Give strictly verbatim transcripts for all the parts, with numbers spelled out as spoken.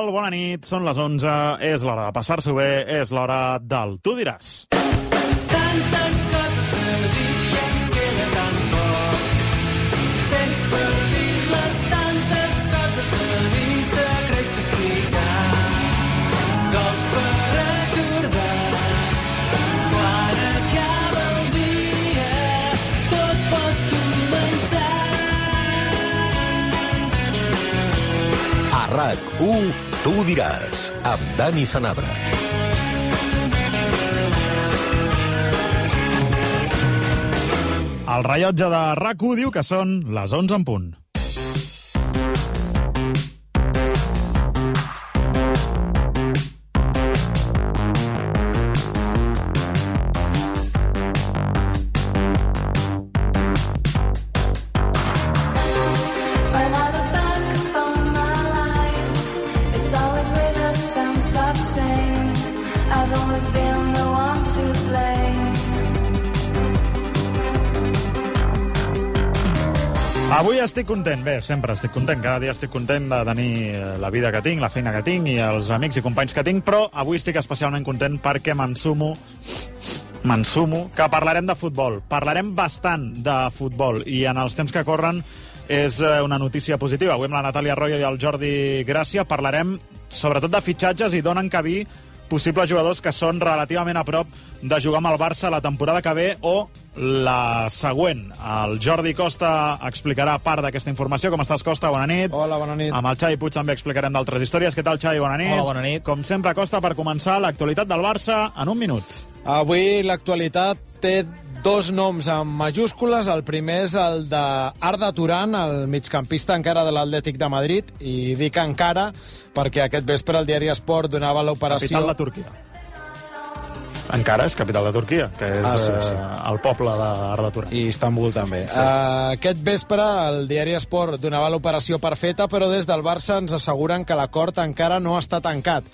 tal? Bona nit, són les onze, és l'hora de passar-s'ho bé, és l'hora del Tu diràs. Tantes coses a dir i ens queda tan poc. Temps per dir-les, tantes coses a dir, secrets que explicar, gols per recordar. Quan acaba el dia, tot pot començar. A RAC u, Tu diràs, amb Dani Sanabra. El rellotge de RAC u diu que són les onze en punt. Avui estic content, bé, sempre estic content, cada dia estic content de tenir la vida que tinc, la feina que tinc i els amics i companys que tinc, però avui estic especialment content perquè m'ensumo, m'ensumo que parlarem de futbol, parlarem bastant de futbol i en els temps que corren és una notícia positiva. Avui amb la Natàlia Arroyo i el Jordi Gràcia parlarem sobretot de fitxatges i donen cabí possibles jugadors que són relativament a prop de jugar amb el Barça la temporada que ve o la següent. El Jordi Costa explicarà part d'aquesta informació. Com estàs, Costa? Bona nit. Hola, bona nit. Amb el Xavi Puig també explicarem d'altres històries. Què tal, Xavi? Bona nit. Hola, bona nit. Com sempre, Costa, per començar l'actualitat del Barça en un minut. Avui l'actualitat té dos noms en majúscules. El primer és el d'Arda Turan, el migcampista encara de l'Atlètic de Madrid, i dic encara perquè aquest vespre el diari Esport donava l'operació... Capital de Turquia. Encara és capital de Turquia, que és ah, sí, sí. Eh, el poble d'Arda Turan. I Istanbul també. Sí. Uh, aquest vespre el diari Esport donava l'operació per feta, però des del Barça ens asseguren que l'acord encara no està tancat.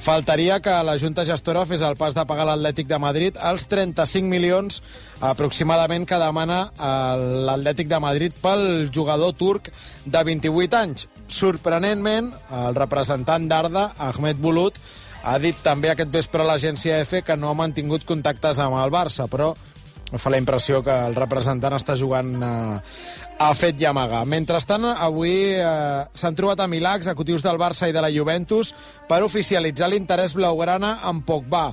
Faltaria que la Junta Gestora fes el pas de pagar l'Atlètic de Madrid els trenta-cinc milions aproximadament que demana l'Atlètic de Madrid pel jugador turc de vint-i-vuit anys. Sorprenentment, el representant d'Arda, Ahmet Bulut, ha dit també aquest vespre a l'agència F que no ha mantingut contactes amb el Barça, però fa la impressió que el representant està jugant eh, a fet i amagar. Mentrestant, avui eh, s'han trobat a Milà executius del Barça i de la Juventus per oficialitzar l'interès blaugrana en Pogba.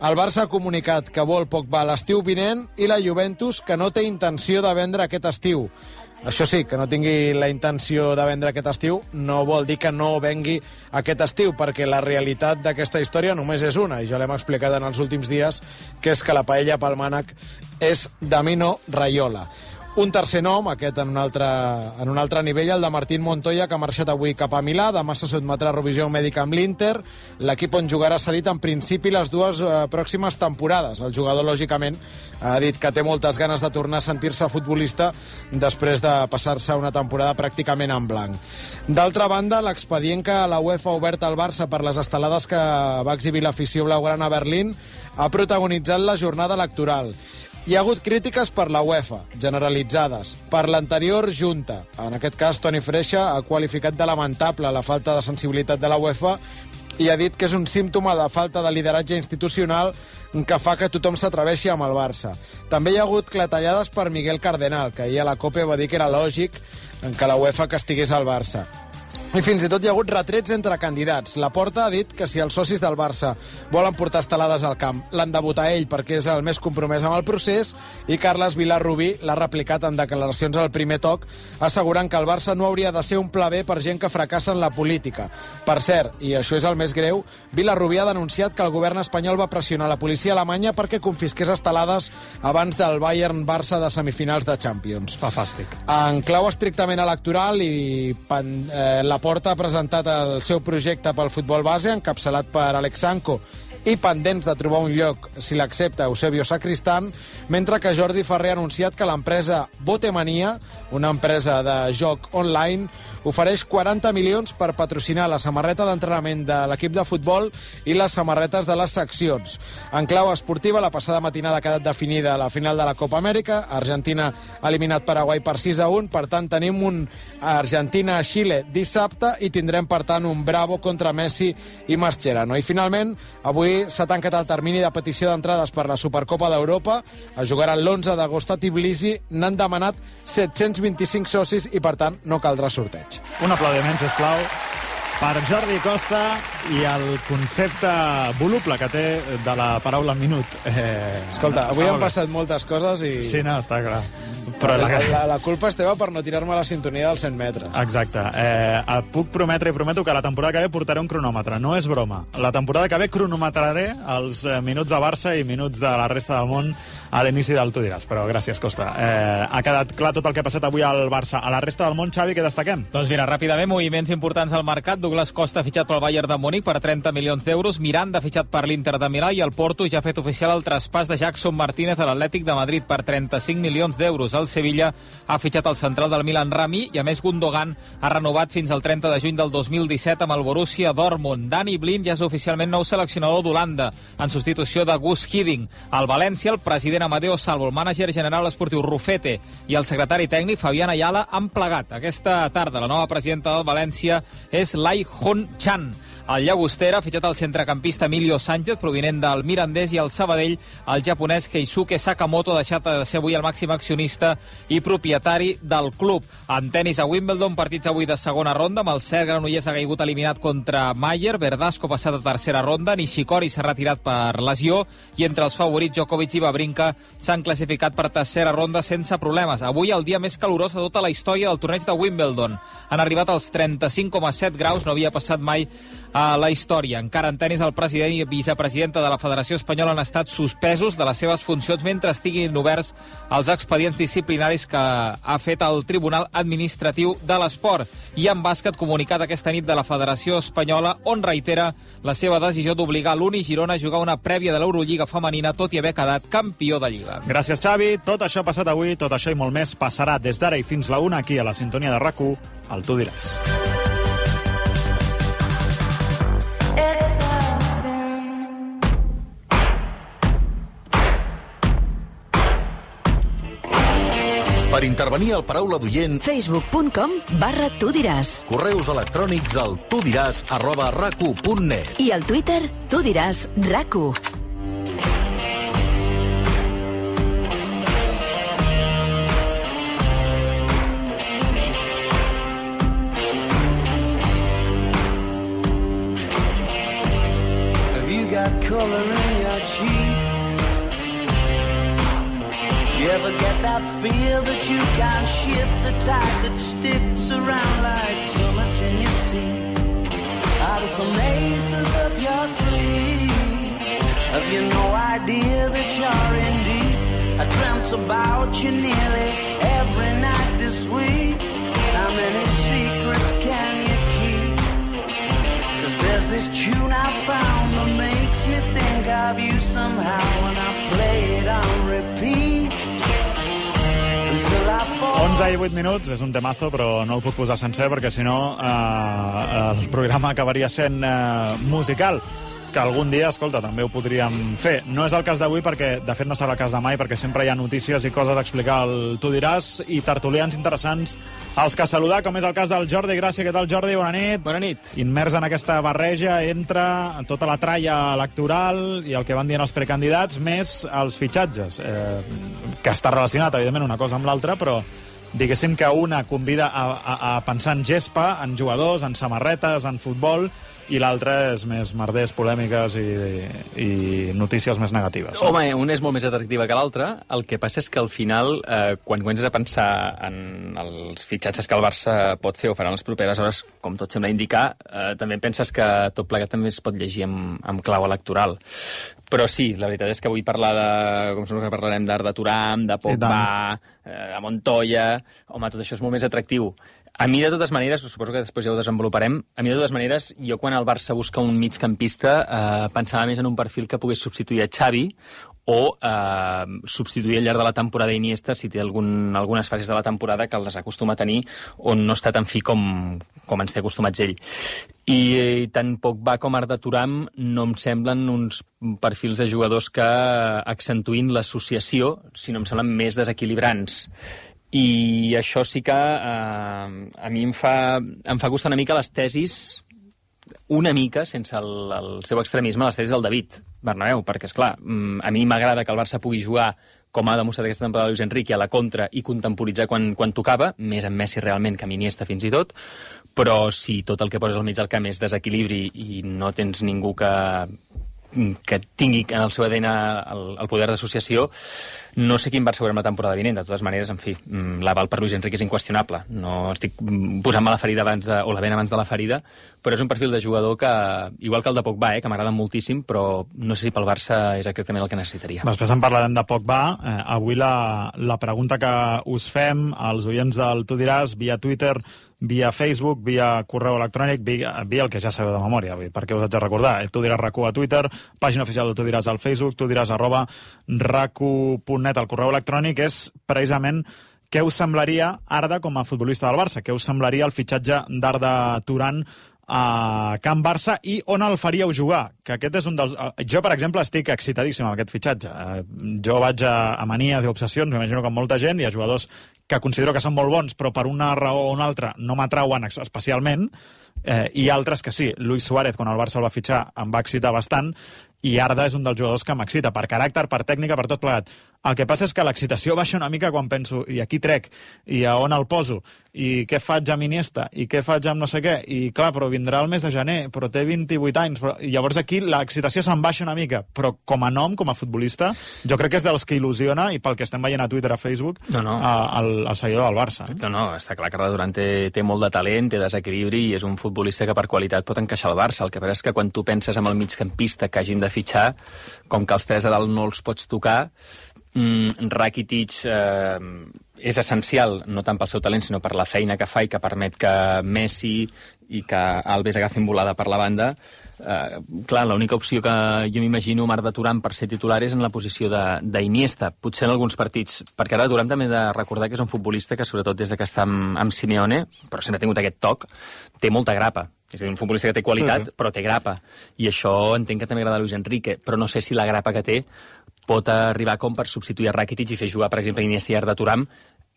El Barça ha comunicat que vol Pogba l'estiu vinent i la Juventus que no té intenció de vendre aquest estiu. Això sí, que no tingui la intenció de vendre aquest estiu no vol dir que no vengui aquest estiu, perquè la realitat d'aquesta història només és una, i ja l'hem explicat en els últims dies, que és que la paella pel mànec és de Mino Raiola. Un tercer nom, aquest en un altre, en un altre nivell, el de Martín Montoya, que ha marxat avui cap a Milà. Demà se sotmetrà a revisió mèdica amb l'Inter. L'equip on jugarà s'ha dit en principi les dues eh, pròximes temporades. El jugador, lògicament, ha dit que té moltes ganes de tornar a sentir-se futbolista després de passar-se una temporada pràcticament en blanc. D'altra banda, l'expedient que la UEFA ha obert al Barça per les estelades que va exhibir l'afició blaugrana a Berlín ha protagonitzat la jornada electoral. Hi ha hagut crítiques per la UEFA, generalitzades, per l'anterior junta. En aquest cas, Toni Freixa ha qualificat de lamentable la falta de sensibilitat de la UEFA i ha dit que és un símptoma de falta de lideratge institucional que fa que tothom s'atreveixi amb el Barça. També hi ha hagut clatellades per Miguel Cardenal, que ahir a la COPE va dir que era lògic que la UEFA castigués el Barça. I fins i tot hi ha hagut retrets entre candidats. Laporta ha dit que si els socis del Barça volen portar estelades al camp, l'han de votar ell perquè és el més compromès amb el procés, i Carles Vilarrubí l'ha replicat en declaracions al primer toc, assegurant que el Barça no hauria de ser un pla B per gent que fracassa en la política. Per cert, i això és el més greu, Vilarrubí ha denunciat que el govern espanyol va pressionar la policia alemanya perquè confisqués estelades abans del Bayern-Barça de semifinals de Champions. Fantàstic. En clau estrictament electoral, i eh, la Laporta ha presentat el seu projecte pel futbol base, encapçalat per Alex Sanko i pendents de trobar un lloc si l'accepta Eusebio Sacristán, mentre que Jordi Ferrer ha anunciat que l'empresa Botemania, una empresa de joc online, ofereix quaranta milions per patrocinar la samarreta d'entrenament de l'equip de futbol i les samarretes de les seccions. En clau esportiva, la passada matinada ha quedat definida la final de la Copa Amèrica. Argentina ha eliminat Paraguai per sis a un, per tant tenim un Argentina-Xile dissabte i tindrem, per tant, un Bravo contra Messi i Mascherano. I finalment, avui s'ha tancat el termini de petició d'entrades per la Supercopa d'Europa. Es jugarà l'onze d'agost a Tbilisi. N'han demanat set-cents vint-i-cinc socis i, per tant, no caldrà sorteig. Un aplaudiment, sisplau, per Jordi Costa i el concepte voluble que té de la paraula minut. Eh, Escolta, avui han passat moltes coses i... Sí, no, està clar. Però la, la, la culpa és teva per no tirar-me la sintonia dels cent metres. Exacte. Eh, et puc prometre i prometo que la temporada que ve portaré un cronòmetre. No és broma. La temporada que ve cronometraré els eh, minuts de Barça i minuts de la resta del món a l'inici del Tu diràs. Però gràcies, Costa. Eh, ha quedat clar tot el que ha passat avui al Barça. A la resta del món, Xavi, què destaquem? Doncs mira, ràpidament, moviments importants al mercat. Douglas Costa ha fitxat pel Bayern de Múnich per trenta milions d'euros. Miranda ha fitxat per l'Inter de Milà i el Porto ja ha fet oficial el traspàs de Jackson Martínez a l'Atlètic de Madrid per trenta-cinc milions d'euros. El Sevilla ha fitxat el central del Milan Rami i, a més, Gundogan ha renovat fins al trenta de juny del dos mil disset amb el Borussia Dortmund. Dani Blind ja és oficialment nou seleccionador d'Holanda, en substitució de Gus Hiddink. Al València, el president Amadeo Salvo, el mànager general esportiu Rufete i el secretari tècnic Fabián Ayala han plegat. Aquesta tarda la nova presidenta del València és Lai Hon Chan. El Llagostera ha fitxat el centrecampista Emilio Sánchez, provinent del Mirandés, i el Sabadell, el japonès Keisuke Sakamoto, ha deixat de ser avui el màxim accionista i propietari del club. En tenis a Wimbledon, partits avui de segona ronda, amb el cert granollers ha caigut eliminat contra Mayer, Verdasco passat a tercera ronda, Nishikori s'ha retirat per lesió, i entre els favorits Djokovic i Wawrinka s'han classificat per tercera ronda sense problemes. Avui el dia més calorós de tota la història del torneig de Wimbledon. Han arribat als trenta-cinc coma set graus, no havia passat mai a la història. Encara en tenis, el president i vicepresidenta de la Federació Espanyola han estat suspesos de les seves funcions mentre estiguin oberts els expedients disciplinaris que ha fet el Tribunal Administratiu de l'Esport. I en bàsquet, comunicat aquesta nit de la Federació Espanyola, on reitera la seva decisió d'obligar l'Uni Girona a jugar una prèvia de l'Eurolliga femenina, tot i haver quedat campió de Lliga. Gràcies, Xavi. Tot això ha passat avui, tot això i molt més passarà des d'ara i fins la una aquí a la sintonia de RAC u, al Tu diràs. Per intervenir al Paraula d'Oient, facebook punt com barra tu diràs. correus electrònics al tudiràs arroba rac u punt net. I al Twitter, tu diràs RAC u. Have you got color in your cheeks? Do you ever get that feel that you can't shift, the tide that sticks around like summits in your teeth? Are there some aces up your sleeve? Have you no idea that you're in deep? I dreamt about you nearly every night this week. How many secrets can you keep? 'Cause there's this tune I found that makes me think of you somehow, and I play it on repeat. onze i vuit minuts, és un temazo, però no el puc posar sencer perquè si no eh, el programa acabaria sent eh, musical, que algun dia, escolta, també ho podríem fer. No és el cas d'avui perquè, de fet, no serà el cas de mai, perquè sempre hi ha notícies i coses a explicar al Tu diràs i tertulians interessants als que saludar, com és el cas del Jordi Gràcia. Què tal, Jordi? Bona nit. Bona nit. Immers en aquesta barreja entre tota la tralla electoral i el que van dient els precandidats, més els fitxatges, eh, que està relacionat, evidentment, una cosa amb l'altra, però diguéssim que una convida a, a, a pensar en gespa, en jugadors, en samarretes, en futbol, i l'altra és més merders, polèmiques i, i notícies més negatives. Home, una és molt més atractiva que l'altra. El que passa és que al final, eh, quan comences a pensar en els fitxatges que el Barça pot fer o farà en les properes hores, com tot sembla indicar, eh, també penses que tot plegat també es pot llegir amb, amb clau electoral. Però sí, la veritat és que vull parlar de... com sembla que parlarem d'Arda Turam, de Pogba, eh, de Montoya... Home, tot això és molt més atractiu. A mi, de totes maneres, suposo que després ja ho desenvoluparem, a mi, de totes maneres, jo quan el Barça busca un migcampista eh, pensava més en un perfil que pogués substituir a Xavi o eh, substituir al llarg de la temporada Iniesta si té algun, algunes fases de la temporada que les acostuma a tenir on no està tan fi com, com ens té acostumats ell. I, i tant Pogba com Arda Turam no em semblen uns perfils de jugadors que accentuïn l'associació, sinó em semblen més desequilibrants. I això sí que eh, a mi em fa, em fa costar una mica les tesis, una mica, sense el, el seu extremisme, les tesis del David Bernabéu, perquè, esclar, a mi m'agrada que el Barça pugui jugar com ha demostrat aquesta temporada Luis Enrique a la contra i contemporitzar quan, quan tocava, més amb Messi realment que amb Iniesta fins i tot, però si tot el que poses al mig del camp és desequilibri i no tens ningú que, que tingui en el seu A D N el, el poder d'associació, no sé quin Barça veurem la temporada vinent. De totes maneres, en fi, l'aval per Luis Enrique és inqüestionable. No estic posant-me la ferida abans de, o la vena abans de la ferida, però és un perfil de jugador que, igual que el de Pogba, eh, que m'agrada moltíssim, però no sé si pel Barça és exactament el que necessitaria. Després en parlarem de Pogba. Eh, avui la, la pregunta que us fem als oients del Tu diràs, via Twitter, via Facebook, via correu electrònic, via, via el que ja sabeu de memòria, perquè us haig de recordar. Eh, tu diràs RAC u a Twitter, pàgina oficial de Tu diràs al Facebook, tu diràs arroba rac u punt net al correu electrònic, és precisament què us semblaria Arda com a futbolista del Barça, què us semblaria el fitxatge d'Arda Turan a Camp Barça i on el faríeu jugar, que aquest és un dels... Jo, per exemple, estic excitadíssim amb aquest fitxatge. Jo vaig a, a manies i obsessions, m'imagino que amb molta gent, hi ha jugadors que considero que són molt bons, però per una raó o una altra no m'atrauen especialment, eh, i altres que sí. Luis Suárez, quan el Barça el va fitxar, em va excitar bastant, i Arda és un dels jugadors que m'excita, per caràcter, per tècnica, per tot plegat. El que passa és que l'excitació baixa una mica quan penso, i aquí trec, i a on el poso, i què faig amb Iniesta, i què faig amb no sé què, i clar, però vindrà el mes de gener, però té vint-i-vuit anys, però... i llavors aquí l'excitació se'n baixa una mica, però com a nom, com a futbolista, jo crec que és dels que il·lusiona, i pel que estem veient a Twitter, a Facebook, no, no. A, al, al seguidor del Barça. Eh? No, no, està clar que Arda Turan té, té molt de talent, té desequilibri, i és un futbolista que per qualitat pot encaixar al Barça. El que passa és que quan tu penses en el migcampista que hagin de fitxar, com que els tres de dalt no els pots tocar, mm, Rakitic eh, és essencial, no tant pel seu talent, sinó per la feina que fa i que permet que Messi i que Alves agafin volada per la banda. Eh, clar, l'única opció que jo m'imagino amb Arda Turan per ser titular és en la posició d'Iniesta, potser en alguns partits, perquè Arda Turan també he de recordar que és un futbolista que, sobretot des de que està amb, amb Simeone, però sempre ha tingut aquest toc, té molta grapa. És a dir, un futbolista que té qualitat, sí, sí. però té grapa. I això entenc que també agrada a Luis Enrique, però no sé si la grapa que té pot arribar com per substituir a Rakitic i fer jugar, per exemple, Iniesta i Arda Turan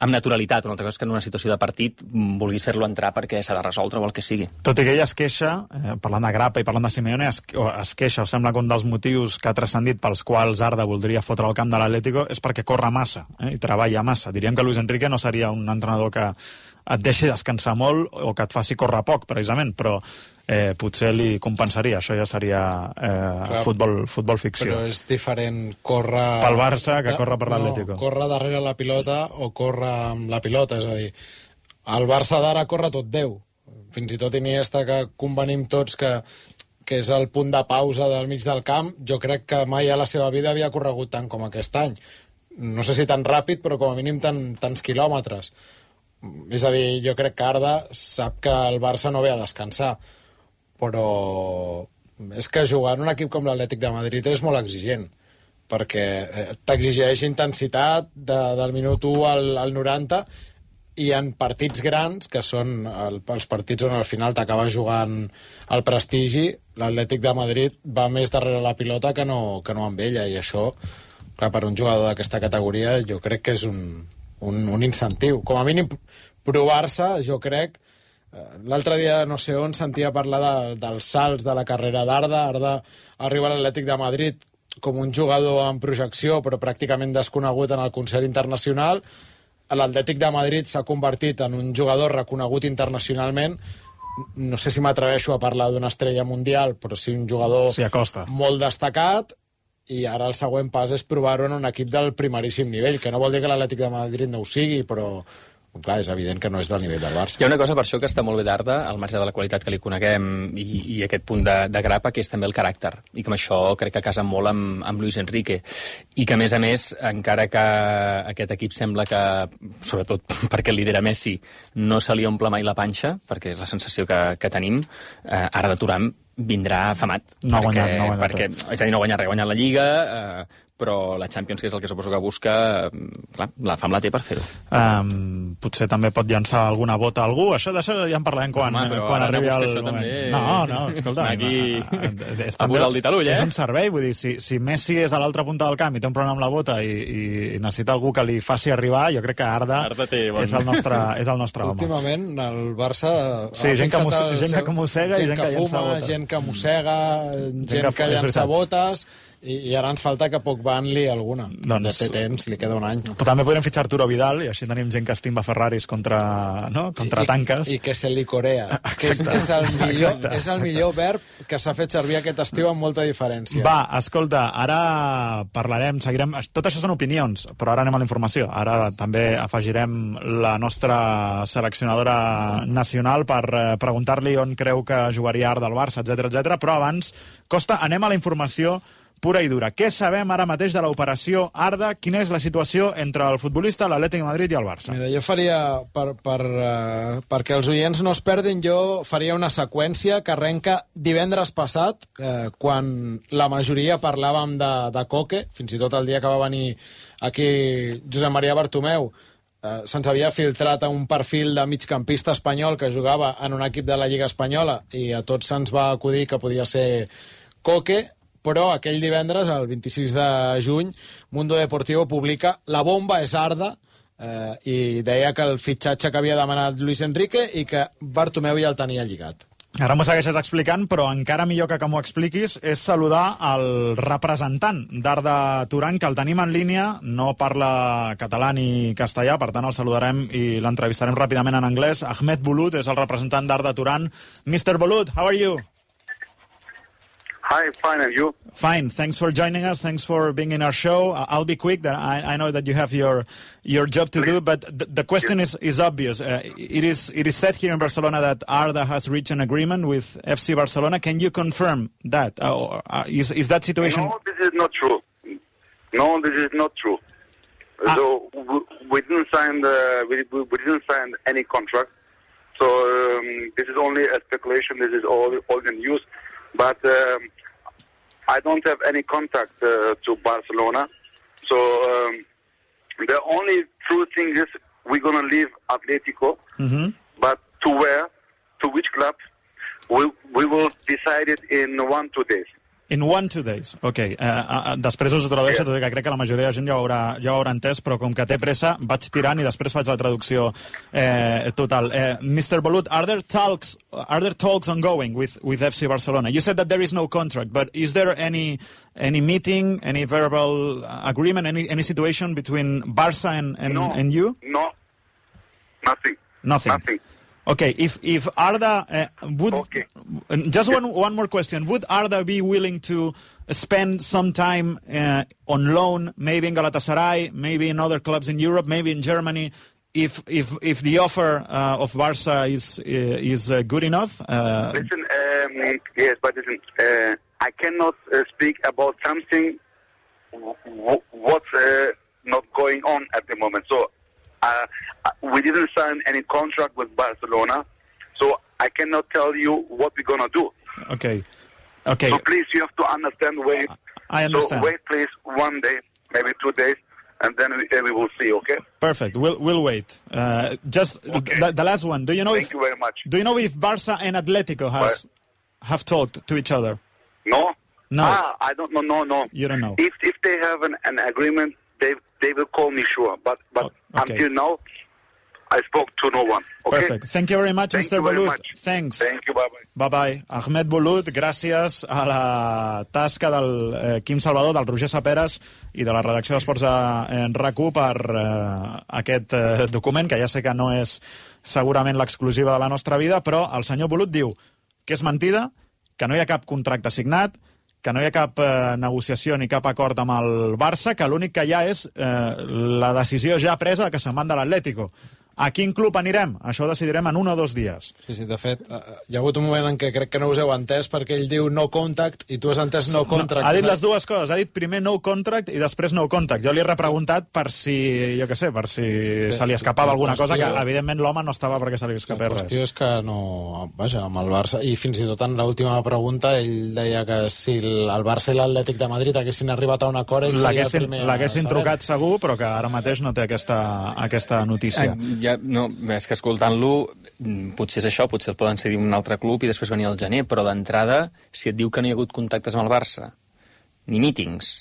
amb naturalitat. Una altra cosa és que en una situació de partit vulguis fer-lo entrar perquè s'ha de resoldre o el que sigui. Tot i que ell es queixa, eh, parlant de grapa i parlant de Simeone, es, es queixa, o sembla que un dels motius que ha transcendit pels quals Arda voldria fotre el camp de l'Atlético és perquè corre massa, eh, i treballa massa. Diríem que Luis Enrique no seria un entrenador que et deixi descansar molt o que et faci córrer poc, precisament, però eh, potser li compensaria. Això ja seria eh, futbol, futbol ficció. Però és diferent córrer... Pel Barça que córrer per l'Atlético. No, córrer darrere la pilota o córrer amb la pilota, és a dir, el Barça d'ara corre tot Déu. Fins i tot Iniesta, que convenim tots que, que és el punt de pausa del mig del camp, jo crec que mai a la seva vida havia corregut tant com aquest any. No sé si tan ràpid, però com a mínim tan, tants quilòmetres. És a dir, jo crec que Arda sap que el Barça no ve a descansar, però és que jugar en un equip com l'Atlètic de Madrid és molt exigent, perquè t'exigeix intensitat de, del minut u al, al noranta, i en partits grans, que són el, els partits on al final t'acaba jugant el prestigi, l'Atlètic de Madrid va més darrere la pilota que no, que no amb ella, i això, clar, per un jugador d'aquesta categoria, jo crec que és un... Un, un incentiu. Com a mínim, provar-se, jo crec... L'altre dia, no sé on, sentia parlar de, dels salts de la carrera d'Arda. Arda arriba a l'Atlètic de Madrid com un jugador en projecció, però pràcticament desconegut en el concert internacional. L'Atlètic de Madrid s'ha convertit en un jugador reconegut internacionalment. No sé si m'atreveixo a parlar d'una estrella mundial, però sí un jugador sí, molt destacat. I ara el següent pas és provar-ho en un equip del primeríssim nivell, que no vol dir que l'Atlètic de Madrid no ho sigui, però, clar, és evident que no és del nivell del Barça. Hi ha una cosa per això que està molt bé d'Arda, al marge de la qualitat que li coneguem i, i aquest punt de, de grapa, que és també el caràcter, i que amb això crec que casa molt amb, amb Luis Enrique, i que a més a més, encara que aquest equip sembla que, sobretot perquè lidera Messi, no se li omple mai la panxa, perquè és la sensació que, que tenim, eh, Arda Turan vindrà afamat. No ha perquè, guanyat, no ha guanyat perquè, és a dir, no ha guanyat res, ha guanyat la Lliga, eh, però la Champions, que és el que suposo que busca, clar, la fam la té per fer-ho. Um, potser també pot llançar alguna bota a algú, això d'això ja en parlarem quan, Home, quan arribi el moment. També... No, no, escolta, aquí és, a posar el dit a l'ull, eh? És un servei, vull dir, si, si Messi és a l'altra punta del camp i té un problema amb la bota i, i necessita algú que li faci arribar, jo crec que Arda, Arda té, bon... és el nostre, és el nostre home. Últimament, el Barça... Sí, gent que, mosse, gent que mossega i gent que, que fuma, llença botes. gent que mossega, gent, gent que, que llença botes... I, I ara ens falta que poc van-li alguna. Doncs, té temps, li queda un any. Però també podrem fitxar Arturo Vidal, i així tenim gent que estimba Ferraris contra, no? contra I, tanques. I, I que se li corea. Que és, és, el millor, és el millor verb que s'ha fet servir aquest estiu amb molta diferència. Va, escolta, ara parlarem, seguirem... Tot això són opinions, però ara anem a la informació. Ara també afegirem la nostra seleccionadora nacional per eh, preguntar-li on creu que jugaria Arda al Barça, etcètera, etcètera. Però abans, Costa, anem a la informació pura i dura. Què sabem ara mateix de l'operació Arda? Quina és la situació entre el futbolista, l'Atlètic de Madrid i el Barça? Mira, jo faria, per, per, uh, perquè els oients no es perdin, jo faria una seqüència que arrenca divendres passat, eh, quan la majoria parlàvem de, de Coque, fins i tot el dia que va venir aquí Josep Maria Bartomeu, eh, se'ns havia filtrat un perfil de migcampista espanyol que jugava en un equip de la Lliga Espanyola i a tots se'ns va acudir que podia ser Coque, però aquell divendres, el vint-i-sis de juny, Mundo Deportivo publica La bomba és Arda, eh, i deia que el fitxatge que havia demanat Luis Enrique i que Bartomeu ja el tenia lligat. Ara m'ho segueixes explicant, però encara millor que que m'ho expliquis és saludar el representant d'Arda Turan, que el tenim en línia, no parla català ni castellà, per tant el saludarem i l'entrevistarem ràpidament en anglès. Ahmed Bulut és el representant d'Arda Turan. mister Bulut, how are you? Hi, fine, and you? Fine. Thanks for joining us. Thanks for being in our show. I'll be quick. That I, I know that you have your your job to do, but the, the question is is obvious. Uh, it is it is said here in Barcelona that Arda has reached an agreement with F C Barcelona. Can you confirm that? Uh, or, uh, is is that situation? No, this is not true. No, this is not true. Ah. So we, we didn't sign the we, we didn't sign any contract. So um, this is only a speculation. This is all all the news, but. Um, I don't have any contact uh, to Barcelona, so um, the only true thing is we're going to leave Atletico, mm-hmm. but to where, to which club, we, we will decide it in one, two days. In one, two days. Ok. Uh, uh, després us ho tradueixo, tot i que crec que la majoria de gent ja ho haurà, ja ho haurà entès, però com que té pressa, vaig tirant i després faig la traducció eh, total. Uh, mister Bulut, are there talks, are there talks ongoing with, with F C Barcelona? You said that there is no contract, but is there any any meeting, any verbal agreement, any any situation between Barça and, and, no, and you? No, nothing. Nothing. Nothing. Okay, if if Arda uh, would okay. just one one more question, would Arda be willing to spend some time uh, on loan, maybe in Galatasaray, maybe in other clubs in Europe, maybe in Germany, if if if the offer uh, of Barca is uh, is uh, good enough? Uh, listen, um, yes, but listen, uh, I cannot uh, speak about something w- what's uh, not going on at the moment. So. Uh, we didn't sign any contract with Barcelona, so I cannot tell you what we're going to do. Okay. Okay. So please, you have to understand, wait. I understand. So wait, please, one day, maybe two days, and then we, uh, we will see, okay? Perfect. We'll we'll wait. Uh, just okay. the, the last one. Do you know Thank if, you very much. Do you know if Barça and Atletico has what? have talked to each other? No. No. Ah, I don't know. No, no. You don't know. If if they have an, an agreement, they they will call me, sure. But but oh, okay. until now, I spoke to no one. Okay? Perfect. Thank you very much, Thank mister Bulut. Thanks. Thank you. Bye-bye. Bye-bye. Ahmed Bulut, gràcies a la tasca del eh, Quim Salvador, del Roger Saperes i de la redacció d'Esports en RAC u per eh, aquest eh, document, que ja sé que no és segurament l'exclusiva de la nostra vida, però el senyor Bulut diu que és mentida, que no hi ha cap contracte signat, que no hi ha cap eh, negociació ni cap acord amb el Barça, que l'únic que hi ha és eh, la decisió ja presa que se'n van de l'Atlético. A quin club anirem? Això ho decidirem en un o dos dies. Sí, sí, de fet, hi ha hagut un moment en què crec que no us heu entès perquè ell diu no contact i tu has entès no contract. No, ha dit les dues coses. Ha dit primer no contract i després no contact. Jo li he repreguntat per si, jo què sé, per si Bé, se li escapava alguna cosa, que evidentment l'home no estava perquè se li escapés res. La qüestió és que no... Vaja, amb el Barça... I fins i tot en l'última pregunta ell deia que si el Barça i l'Atlètic de Madrid haguessin arribat a un acord, ell seria el primer... L'haguessin trucat segur, però que ara mateix no té aquesta, aquesta notícia. Ah, ja, no, és que escoltant-lo, potser és això, potser el poden cedir un altre club i després venir al gener, però d'entrada, si et diu que no hi ha hagut contactes amb el Barça, ni mítings,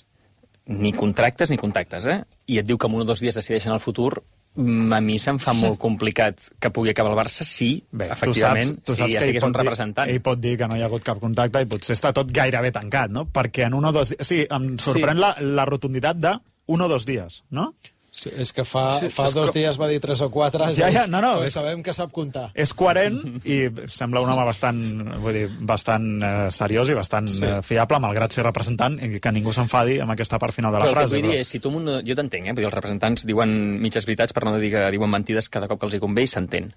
ni contractes ni contactes, eh? I et diu que en un o dos dies decideixen el futur, a mi se'm fa molt complicat que pugui acabar el Barça si, Bé, efectivament, tu saps, tu saps si ja sigués un representant. Dir, ell pot dir que no hi ha hagut cap contacte i potser està tot gairebé tancat, no? Perquè en un o dos dies... Sí, em sorprèn sí. La, la rotunditat de un o dos dies, no? Sí, és que fa, sí, fa dos com... dies va dir tres o quatre, ja, ja, no, no, és... sabem que sap comptar. És coherent i sembla un home bastant, vull dir, bastant eh, seriós i bastant sí. eh, fiable, malgrat ser representant, i que ningú s'enfadi amb aquesta part final de la però frase. Però el que vull dir és, si tu... Un... Jo t'entenc, eh? Vull dir, els representants diuen mitges veritats per no dir que diuen mentides cada cop que els hi convé i s'entén.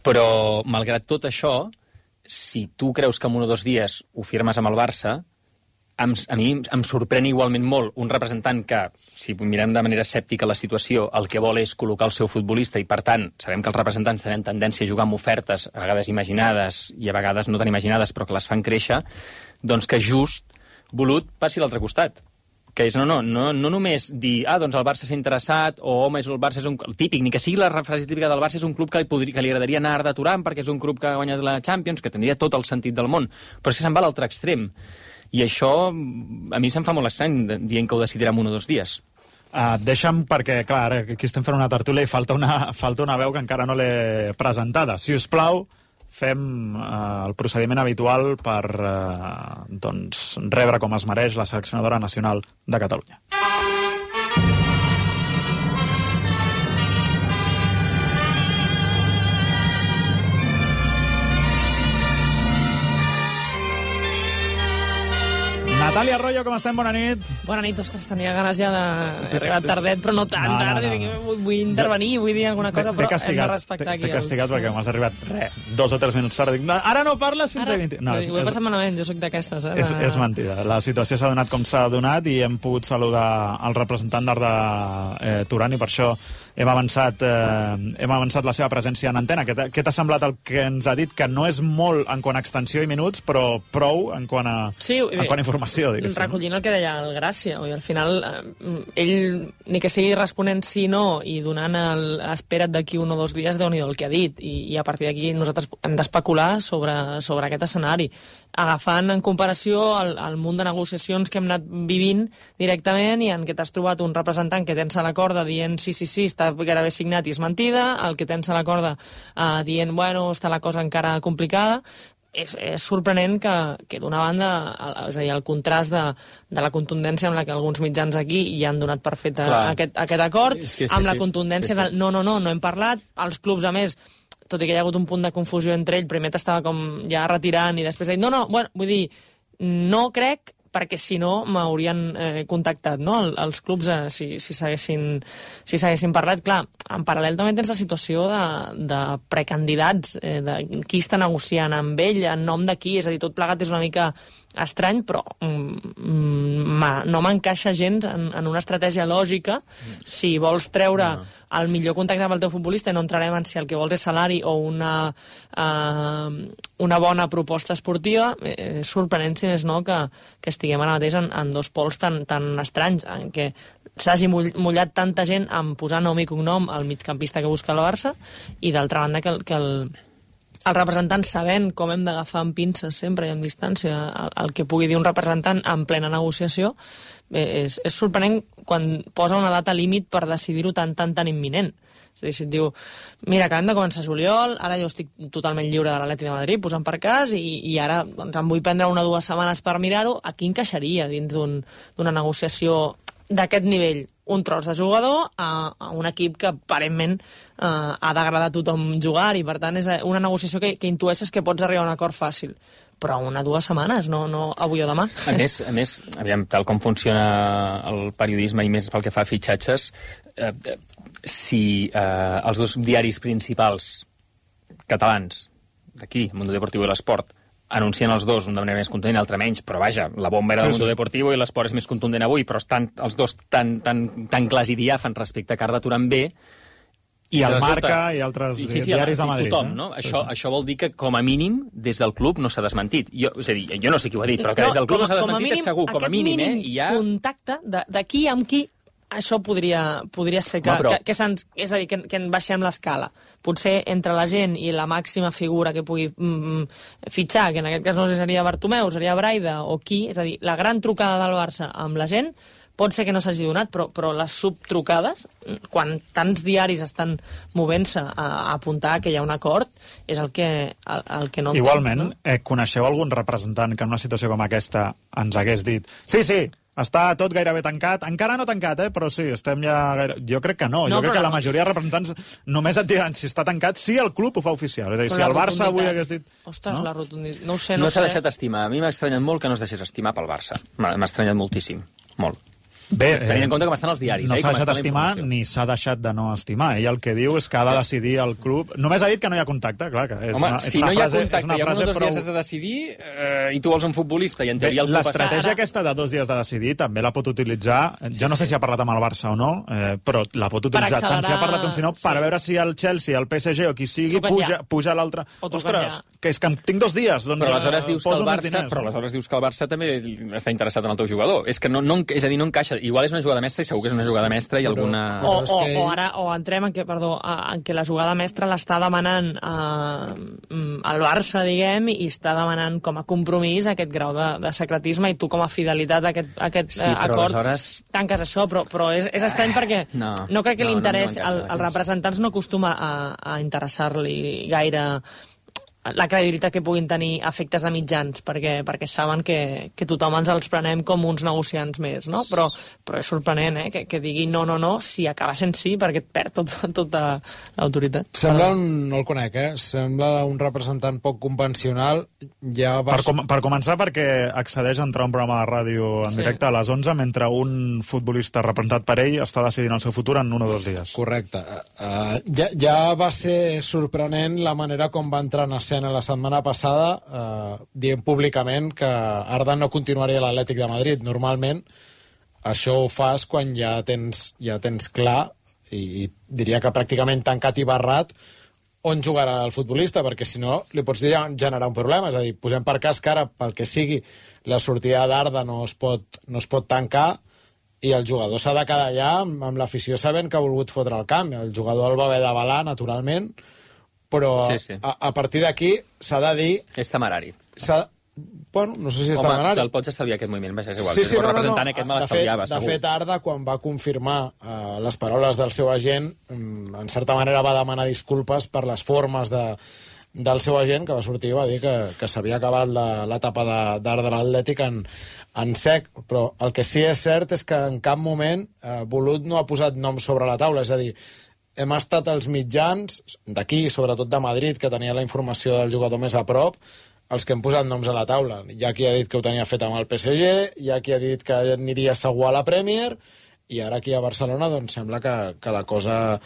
Però, malgrat tot això, si tu creus que en un o dos dies ho firmes amb el Barça, a mi em sorprèn igualment molt un representant que, si mirem de manera escèptica la situació, el que vol és col·locar el seu futbolista i, per tant, sabem que els representants tenen tendència a jugar amb ofertes, a vegades imaginades i a vegades no tan imaginades, però que les fan créixer, doncs que just volut passi a l'altre costat. Que és, no, no, no, no només dir, ah, doncs el Barça s'ha interessat, o home, el Barça és un... El típic, ni que sigui la frase típica del Barça, és un club que li, podria, que li agradaria anar a Turan perquè és un club que ha guanyat la Champions, que tindria tot el sentit del món, però és que se'n va a l'altre extrem. I això, a mi se'm fa molt estrany dient que ho decidirem un o dos dies. Uh, deixa'm, perquè, clar, ara aquí estem fent una tertúlia i falta una, falta una veu que encara no l'he presentada. Si us plau, fem uh, el procediment habitual per uh, doncs, rebre com es mereix la seleccionadora nacional de Catalunya. Natàlia Arroyo, com estem? Bona nit. Bona nit, ostres, tenia ganes ja de... He arribat tardet, però no tan no, tard. No, no. Vull, vull intervenir, vull dir alguna cosa, però hem de respectar aquí. T'he castigat els... perquè m'has arribat, re, dos o tres minuts tard. Dic, no, ara no parles fins ara... a vint... No, és, ho he passat malament, jo sóc d'aquestes. Eh? És, és mentida. La situació s'ha donat com s'ha donat i hem pogut saludar el representant d'Art de eh, Turan i per això hem avançat, eh, hem avançat la seva presència en antena. Què t'ha semblat el que ens ha dit? Que no és molt en quant a extensió i minuts, però prou en quant a, sí, en quant a informació. Diguéssim. Recollint el que deia el Gràcia, oi? Al final eh, ell, ni que sigui responent sí no i donant el, espera't d'aquí un o dos dies, déu-n'hi-do el que ha dit, i, i a partir d'aquí nosaltres hem d'especular sobre, sobre aquest escenari, agafant en comparació el, el munt de negociacions que hem anat vivint directament i en què t'has trobat un representant que tens a la corda dient sí, sí, sí, està gairebé signat i és mentida, el que tens a la corda eh, dient, bueno, està la cosa encara complicada. És, és sorprenent que, que d'una banda, el, és a dir, el contrast de, de la contundència amb la que alguns mitjans aquí ja han donat per fet aquest, aquest acord, és que sí, amb la contundència sí, sí. del no, no, no, no hem parlat, els clubs, a més, tot i que hi ha hagut un punt de confusió entre ell, primer t'estava com ja retirant i després ha dit, no, no, bueno, vull dir, no crec, perquè si no m'haurien eh, contactat, no?, el, els clubs, eh, si, si s'haguessin si s'haguessin parlat. Clar, en paral·lel també tens la situació de, de precandidats, eh, de qui està negociant amb ell, en nom de qui, és a dir, tot plegat és una mica estrany, però mm, ma, no m'encaixa gens en, en una estratègia lògica. Si vols treure no. el millor contacte amb el teu futbolista, no entrarem en si el que vols és salari o una, uh, una bona proposta esportiva, és sorprenent, si més no, que, que estiguem ara mateix en, en dos pols tan, tan estranys, en què s'hagi mullat tanta gent en posar nom i cognom al migcampista que busca el Barça, i d'altra banda que, que el el representant, sabent com hem d'agafar amb pinces sempre i amb distància el, el que pugui dir un representant en plena negociació, és, és sorprenent quan posa una data límit per decidir-ho tan, tan, tan imminent. És a dir, si et diu, mira, acabem de començar juliol, ara jo estic totalment lliure de l'Atlètic de Madrid, posant per cas, i, i ara doncs, em vull prendre una o dues setmanes per mirar-ho, aquí encaixaria dins d'un, d'una negociació d'aquest nivell, un tros de jugador a, a un equip que aparentment eh, ha d'agradar a tothom jugar, i per tant és una negociació que, que intueixes que pots arribar a un acord fàcil, però una o dues setmanes, no, no avui o demà. A més, a més, aviam, tal com funciona el periodisme i més pel que fa a fitxatges, eh, si eh, els dos diaris principals catalans d'aquí, Mundo Deportivo i l'Esport, anuncien els dos, un de manera més contundent, l'altre menys, però vaja, la bomba era del sí, Mundo sí. Deportivo i l'Esport és més contundent avui, però estan els dos tan, tan, tan clars i diàfans respecte a que Arda Turan B. I el Marca i altres sí, sí, diaris de Madrid. Tothom, no? Sí, això, sí. això vol dir que, com a mínim, des del club no s'ha desmentit. Jo, és a dir, jo no sé qui ho ha dit, però que des del club no, no s'ha desmentit mínim, és segur, com a mínim, mínim eh? I ja... contacte de, de qui amb qui, això podria, podria ser que, no, però... que, que se'ns... És a dir, que, que en baixem l'escala. Potser entre la gent i la màxima figura que pugui mm, fitxar, que en aquest cas no sé, seria Bartomeu, seria Braida o qui, és a dir, la gran trucada del Barça amb la gent pot ser que no s'hagi donat, però, però les subtrucades, quan tants diaris estan movent-se a, a apuntar que hi ha un acord, és el que, el, el que no entenc. Igualment, no? eh, coneixeu algun representant que en una situació com aquesta ens hagués dit sí, sí, està tot gairebé tancat. Encara no tancat, eh? Però sí, estem ja... Gaire... Jo crec que no. no jo crec que la majoria de representants només et diran si està tancat, si el club ho fa oficial. És a dir, però si el Barça avui hagués dit... Ostres, no? la rotunditat... No ho sé, no, no s'ha deixat estimar. A mi m'ha estranyat molt que no es deixés estimar pel Barça. M'ha estranyat moltíssim. Molt. Bé, tenint en compte com estan els diaris. No eh, s'ha deixat estimar ni s'ha deixat de no estimar. Ell el que diu és que ha de decidir el club... Només ha dit que no hi ha contacte, clar, que és Home, una, és si una no hi ha frase, contacte una i en un o dos prou... dies has de decidir eh, i tu vols un futbolista i en teoria el club... L'estratègia ara... aquesta de dos dies de decidir també la pot utilitzar, sí, jo no sé sí. si ha parlat amb el Barça o no, eh, però la pot utilitzar accelerar... tant si ha parlat com si no, sí. per veure si el Chelsea, el P S G o qui sigui puja, puja l'altre. Ostres, ja. que és que tinc dos dies, doncs però aleshores dius que el Barça, diners, però aleshores dius que el Barça també està interessat en el teu jugador. És que no, no, és a dir, no encaixa. Igual és una jugada mestra i segur que és una jugada mestra i alguna... O, o, que... o ara o entrem en què, perdó, en què la jugada mestra l'està demanant eh, el Barça, diguem, i està demanant com a compromís aquest grau de, de secretisme i tu com a fidelitat a aquest, a aquest sí, eh, acord aleshores... tanques això, però, però és, és estrany perquè no, no crec que no, l'interès, no, no, no als representants no acostuma a, a interessar-li gaire la credibilitat que puguin tenir efectes de mitjans, perquè, perquè saben que, que tothom ens els prenem com uns negociants més, no? Però, però és sorprenent, eh?, que, que digui no, no, no, si acaba sent sí, perquè et perd tota, tota l'autoritat. Sembla un... no el conec, eh? Sembla un representant poc convencional. Ja va... per, com, per començar, perquè accedeix a entrar a un programa de ràdio en sí. directe a les onze, mentre un futbolista representat per ell està decidint el seu futur en un o dos dies. Correcte. Uh, ja, ja va ser sorprenent la manera com va entrar en escena la setmana passada eh, dient públicament que Arda no continuaria a l'Atlètic de Madrid. Normalment això ho fas quan ja tens, ja tens clar i, i diria que pràcticament tancat i barrat on jugarà el futbolista, perquè si no li pots generar un problema. És a dir, posem per cas que ara, pel que sigui, la sortida d'Arda no es pot, no es pot tancar i el jugador s'ha de quedar allà amb, amb l'afició sabent que ha volgut fotre el camp. El jugador el va haver d'avalar, naturalment, però sí, sí. A, a partir d'aquí s'ha de dir... És temerari. Bueno, no sé si és Home, temerari. te'l pots estalviar aquest moviment, vaja, és igual. Sí, sí, no, no, no. Aquest me de, fet, segur. de fet, Arda, quan va confirmar uh, les paraules del seu agent, um, en certa manera va demanar disculpes per les formes de, del seu agent, que va sortir i va dir que, que s'havia acabat l'etapa d'Arda de l'Atlètic en, en sec. Però el que sí és cert és que en cap moment uh, Bolut no ha posat nom sobre la taula, és a dir, hem estat els mitjans d'aquí, sobretot de Madrid, que tenia la informació del jugador més a prop, els que hem posat noms a la taula. Hi ha qui ha dit que ho tenia fet amb el P S G, hi ha qui ha dit que aniria segur a la Premier, i ara aquí a Barcelona doncs sembla que, que la cosa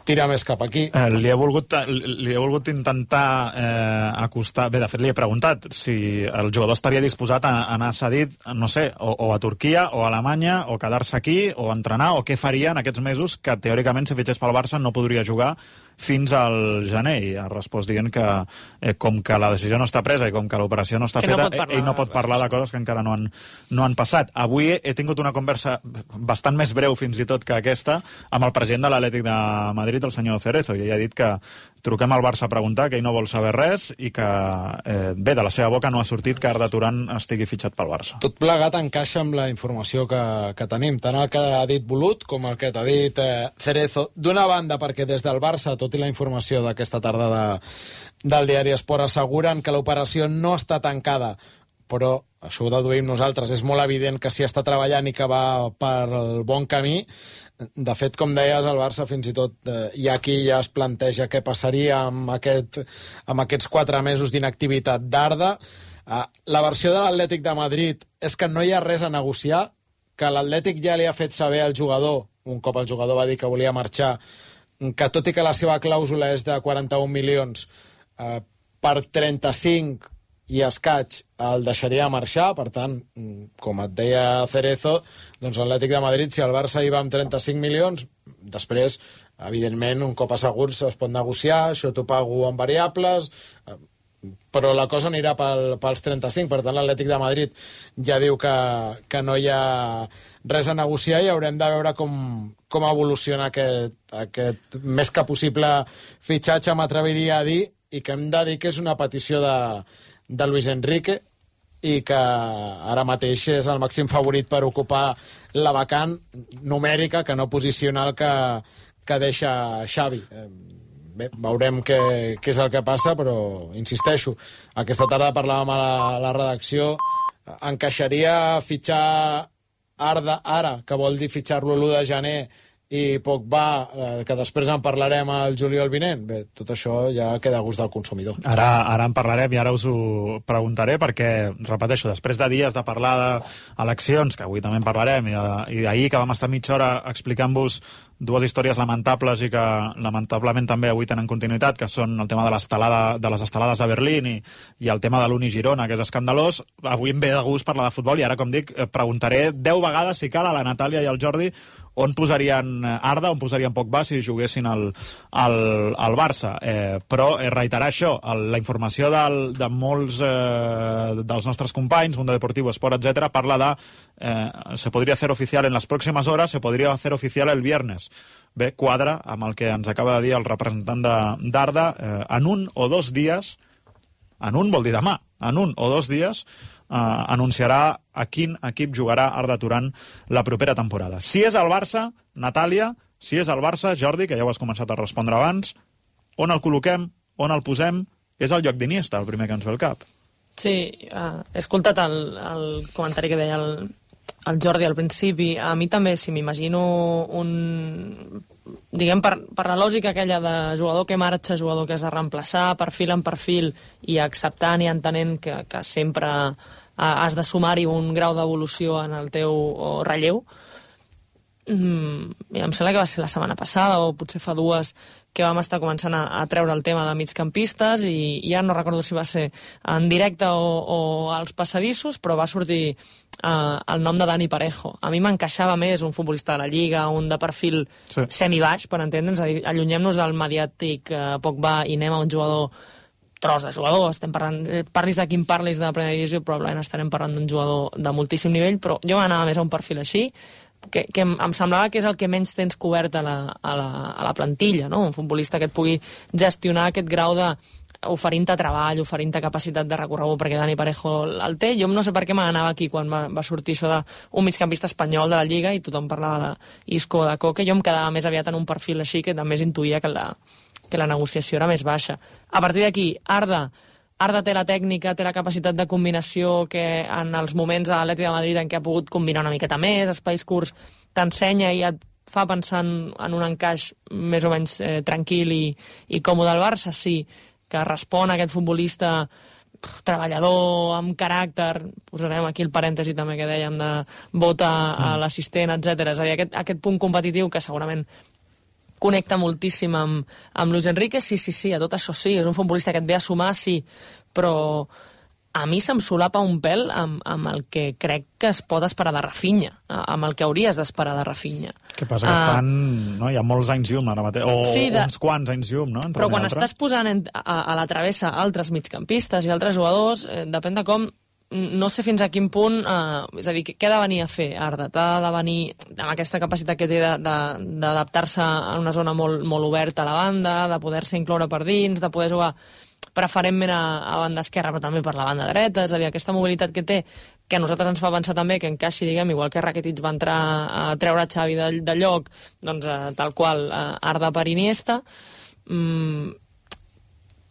tira més cap aquí. Eh, li, he volgut, li he volgut intentar eh, acostar... Bé, de fet, li he preguntat si el jugador estaria disposat a anar cedit, no sé, o, o a Turquia, o a Alemanya, o quedar-se aquí, o entrenar, o què faria en aquests mesos que, teòricament, si fitxés pel Barça, no podria jugar fins al gener. I ha respost dient que, eh, com que la decisió no està presa i com que l'operació no està que feta, no ell no pot parlar de coses que encara no han, no han passat. Avui he tingut una conversa bastant més breu, fins i tot, que aquesta, amb el president de l'Atlètic de Madrid, el senyor Cerezo, i ell ha dit que truquem al Barça a preguntar, que ell no vol saber res i que, eh, bé, de la seva boca no ha sortit que Arda Turan estigui fitxat pel Barça. Tot plegat encaixa amb la informació que, que tenim, tant el que ha dit Bolut com el que t'ha dit eh, Cerezo. D'una banda, perquè des del Barça, tot i la informació d'aquesta tarda de, del diari Esport, asseguren que l'operació no està tancada, però això ho deduïm nosaltres, és molt evident que s'hi està treballant i que va per el bon camí. De fet, com deies, el Barça fins i tot eh, hi ha qui ja es planteja què passaria amb, aquest, amb aquests quatre mesos d'inactivitat d'Arda. Eh, la versió de l'Atlètic de Madrid és que no hi ha res a negociar, que l'Atlètic ja li ha fet saber al jugador un cop el jugador va dir que volia marxar, que tot i que la seva clàusula és de quaranta-un milions, eh, per trenta-cinc i escaig el deixaria marxar. Per tant, com et deia Cerezo, doncs l'Atlètic de Madrid, si el Barça hi va amb trenta-cinc milions, després, evidentment, un cop asseguts es pot negociar, això t'ho pago en variables, però la cosa anirà pel, pels trenta-cinc. Per tant, l'Atlètic de Madrid ja diu que, que no hi ha res a negociar i haurem de veure com, com evoluciona aquest, aquest més que possible fitxatge, m'atreviria a dir, i que hem de dir que és una petició de, de Luis Enrique i que ara mateix és el màxim favorit per ocupar la vacant numèrica, que no posicional, que, que deixa Xavi. Bé, veurem què, què és el que passa, però insisteixo, aquesta tarda parlàvem a la, a la redacció, encaixaria fitxar Arda ara, que vol dir fitxar-lo l'u de gener, i Pogba, eh, que després en parlarem el juliol vinent. Bé, tot això ja queda a gust del consumidor. Ara, ara en parlarem i ara us ho preguntaré, perquè, repeteixo, després de dies de parlar d'eleccions, que avui també en parlarem, i, i ahir que vam estar mitja hora explicant-vos dues històries lamentables i que lamentablement també avui tenen continuïtat, que són el tema de, de les estelades a Berlín i, i el tema de l'Uni Girona, que és escandalós. Avui em ve de gust parlar de futbol i ara, com dic, preguntaré deu vegades, si cal, a la Natàlia i al Jordi on posarien Arda, on posarien Pogba si juguessin al, al, al Barça. Eh, però eh, reiterar això, el, la informació del, de molts eh, dels nostres companys, Mundo Deportivo, Sport, etcètera, parla de eh, se podria hacer oficial en les pròximes hores, se podria hacer oficial el viernes. Bé, quadra amb el que ens acaba de dir el representant d'Arda, eh, en un o dos dies, en un vol dir demà, en un o dos dies, Uh, anunciarà a quin equip jugarà Arda Turan la propera temporada. Si és el Barça, Natàlia, si és el Barça, Jordi, que ja ho has començat a respondre abans, on el col·loquem, on el posem? És el lloc d'Iniesta, el primer que ens ve al cap. Sí, uh, he escoltat el, el comentari que deia el, el Jordi al principi. A mi també, si m'imagino un... diguem, per, per la lògica aquella de jugador que marxa, jugador que has de reemplaçar, perfil en perfil, i acceptant i entenent que, que sempre has de sumar-hi un grau d'evolució en el teu relleu. Mm, em sembla que va ser la setmana passada, o potser fa dues, que vam estar començant a, a treure el tema de migcampistes, i ja no recordo si va ser en directe o, o als passadissos, però va sortir uh, el nom de Dani Parejo. A mi m'encaixava més un futbolista de la Lliga, un de perfil sí. semibaix, per entendre'ns, allunyem-nos del mediàtic uh, Pogba i anem a un jugador tros de jugador. Estem parlant, parlis de quin parlis de la primera divisió, probablement estarem parlant d'un jugador de moltíssim nivell, però jo m'anava més a un perfil així, que, que em semblava que és el que menys tens cobert a la, a la, a la plantilla, no? Un futbolista que et pugui gestionar aquest grau de oferint-te treball, oferint-te capacitat de recorregut, perquè Dani Parejo el té. Jo no sé per què m'anava aquí quan va, va sortir això d'un migcampista espanyol de la Lliga i tothom parlava d'Isco o de Coque. Jo em quedava més aviat en un perfil així, que també intuïa que la, que la negociació era més baixa. A partir d'aquí, Arda Arda té la tècnica, té la capacitat de combinació que en els moments a l'Atlètic de Madrid en què ha pogut combinar una miqueta més, espais curts, t'ensenya i et fa pensar en, en un encaix més o menys eh, tranquil i, i còmode al Barça, sí, que respon a aquest futbolista pff, treballador, amb caràcter, posarem aquí el parèntesi també que dèiem de vota a l'assistent, etcètera. És a dir, aquest, aquest punt competitiu que segurament connecta moltíssim amb, amb Luis Enrique, sí, sí, sí, a tot això sí, és un futbolista que et ve a sumar, sí, però a mi se'm solapa un pèl amb, amb el que crec que es pot esperar de Rafinha, amb el que hauries d'esperar de Rafinha. Que passa que uh, estan, no? Hi ha molts anys llum ara mateix, o sí, de, uns quants anys llum, no? Però quan estàs posant en, a, a la travessa altres migcampistes i altres jugadors, eh, depèn de com, no sé fins a quin punt, eh, és a dir, què ha de venir a fer Arda? T'ha de venir amb aquesta capacitat que té d'adaptar-se a una zona molt, molt oberta a la banda, de poder-se incloure per dins, de poder jugar preferentment a, a banda esquerra, però també per la banda dreta, és a dir, aquesta mobilitat que té, que a nosaltres ens fa pensar també que encaixi, diguem, igual que Rakitic va entrar a treure Xavi de, de lloc, doncs eh, tal qual eh, Arda per Iniesta, mm,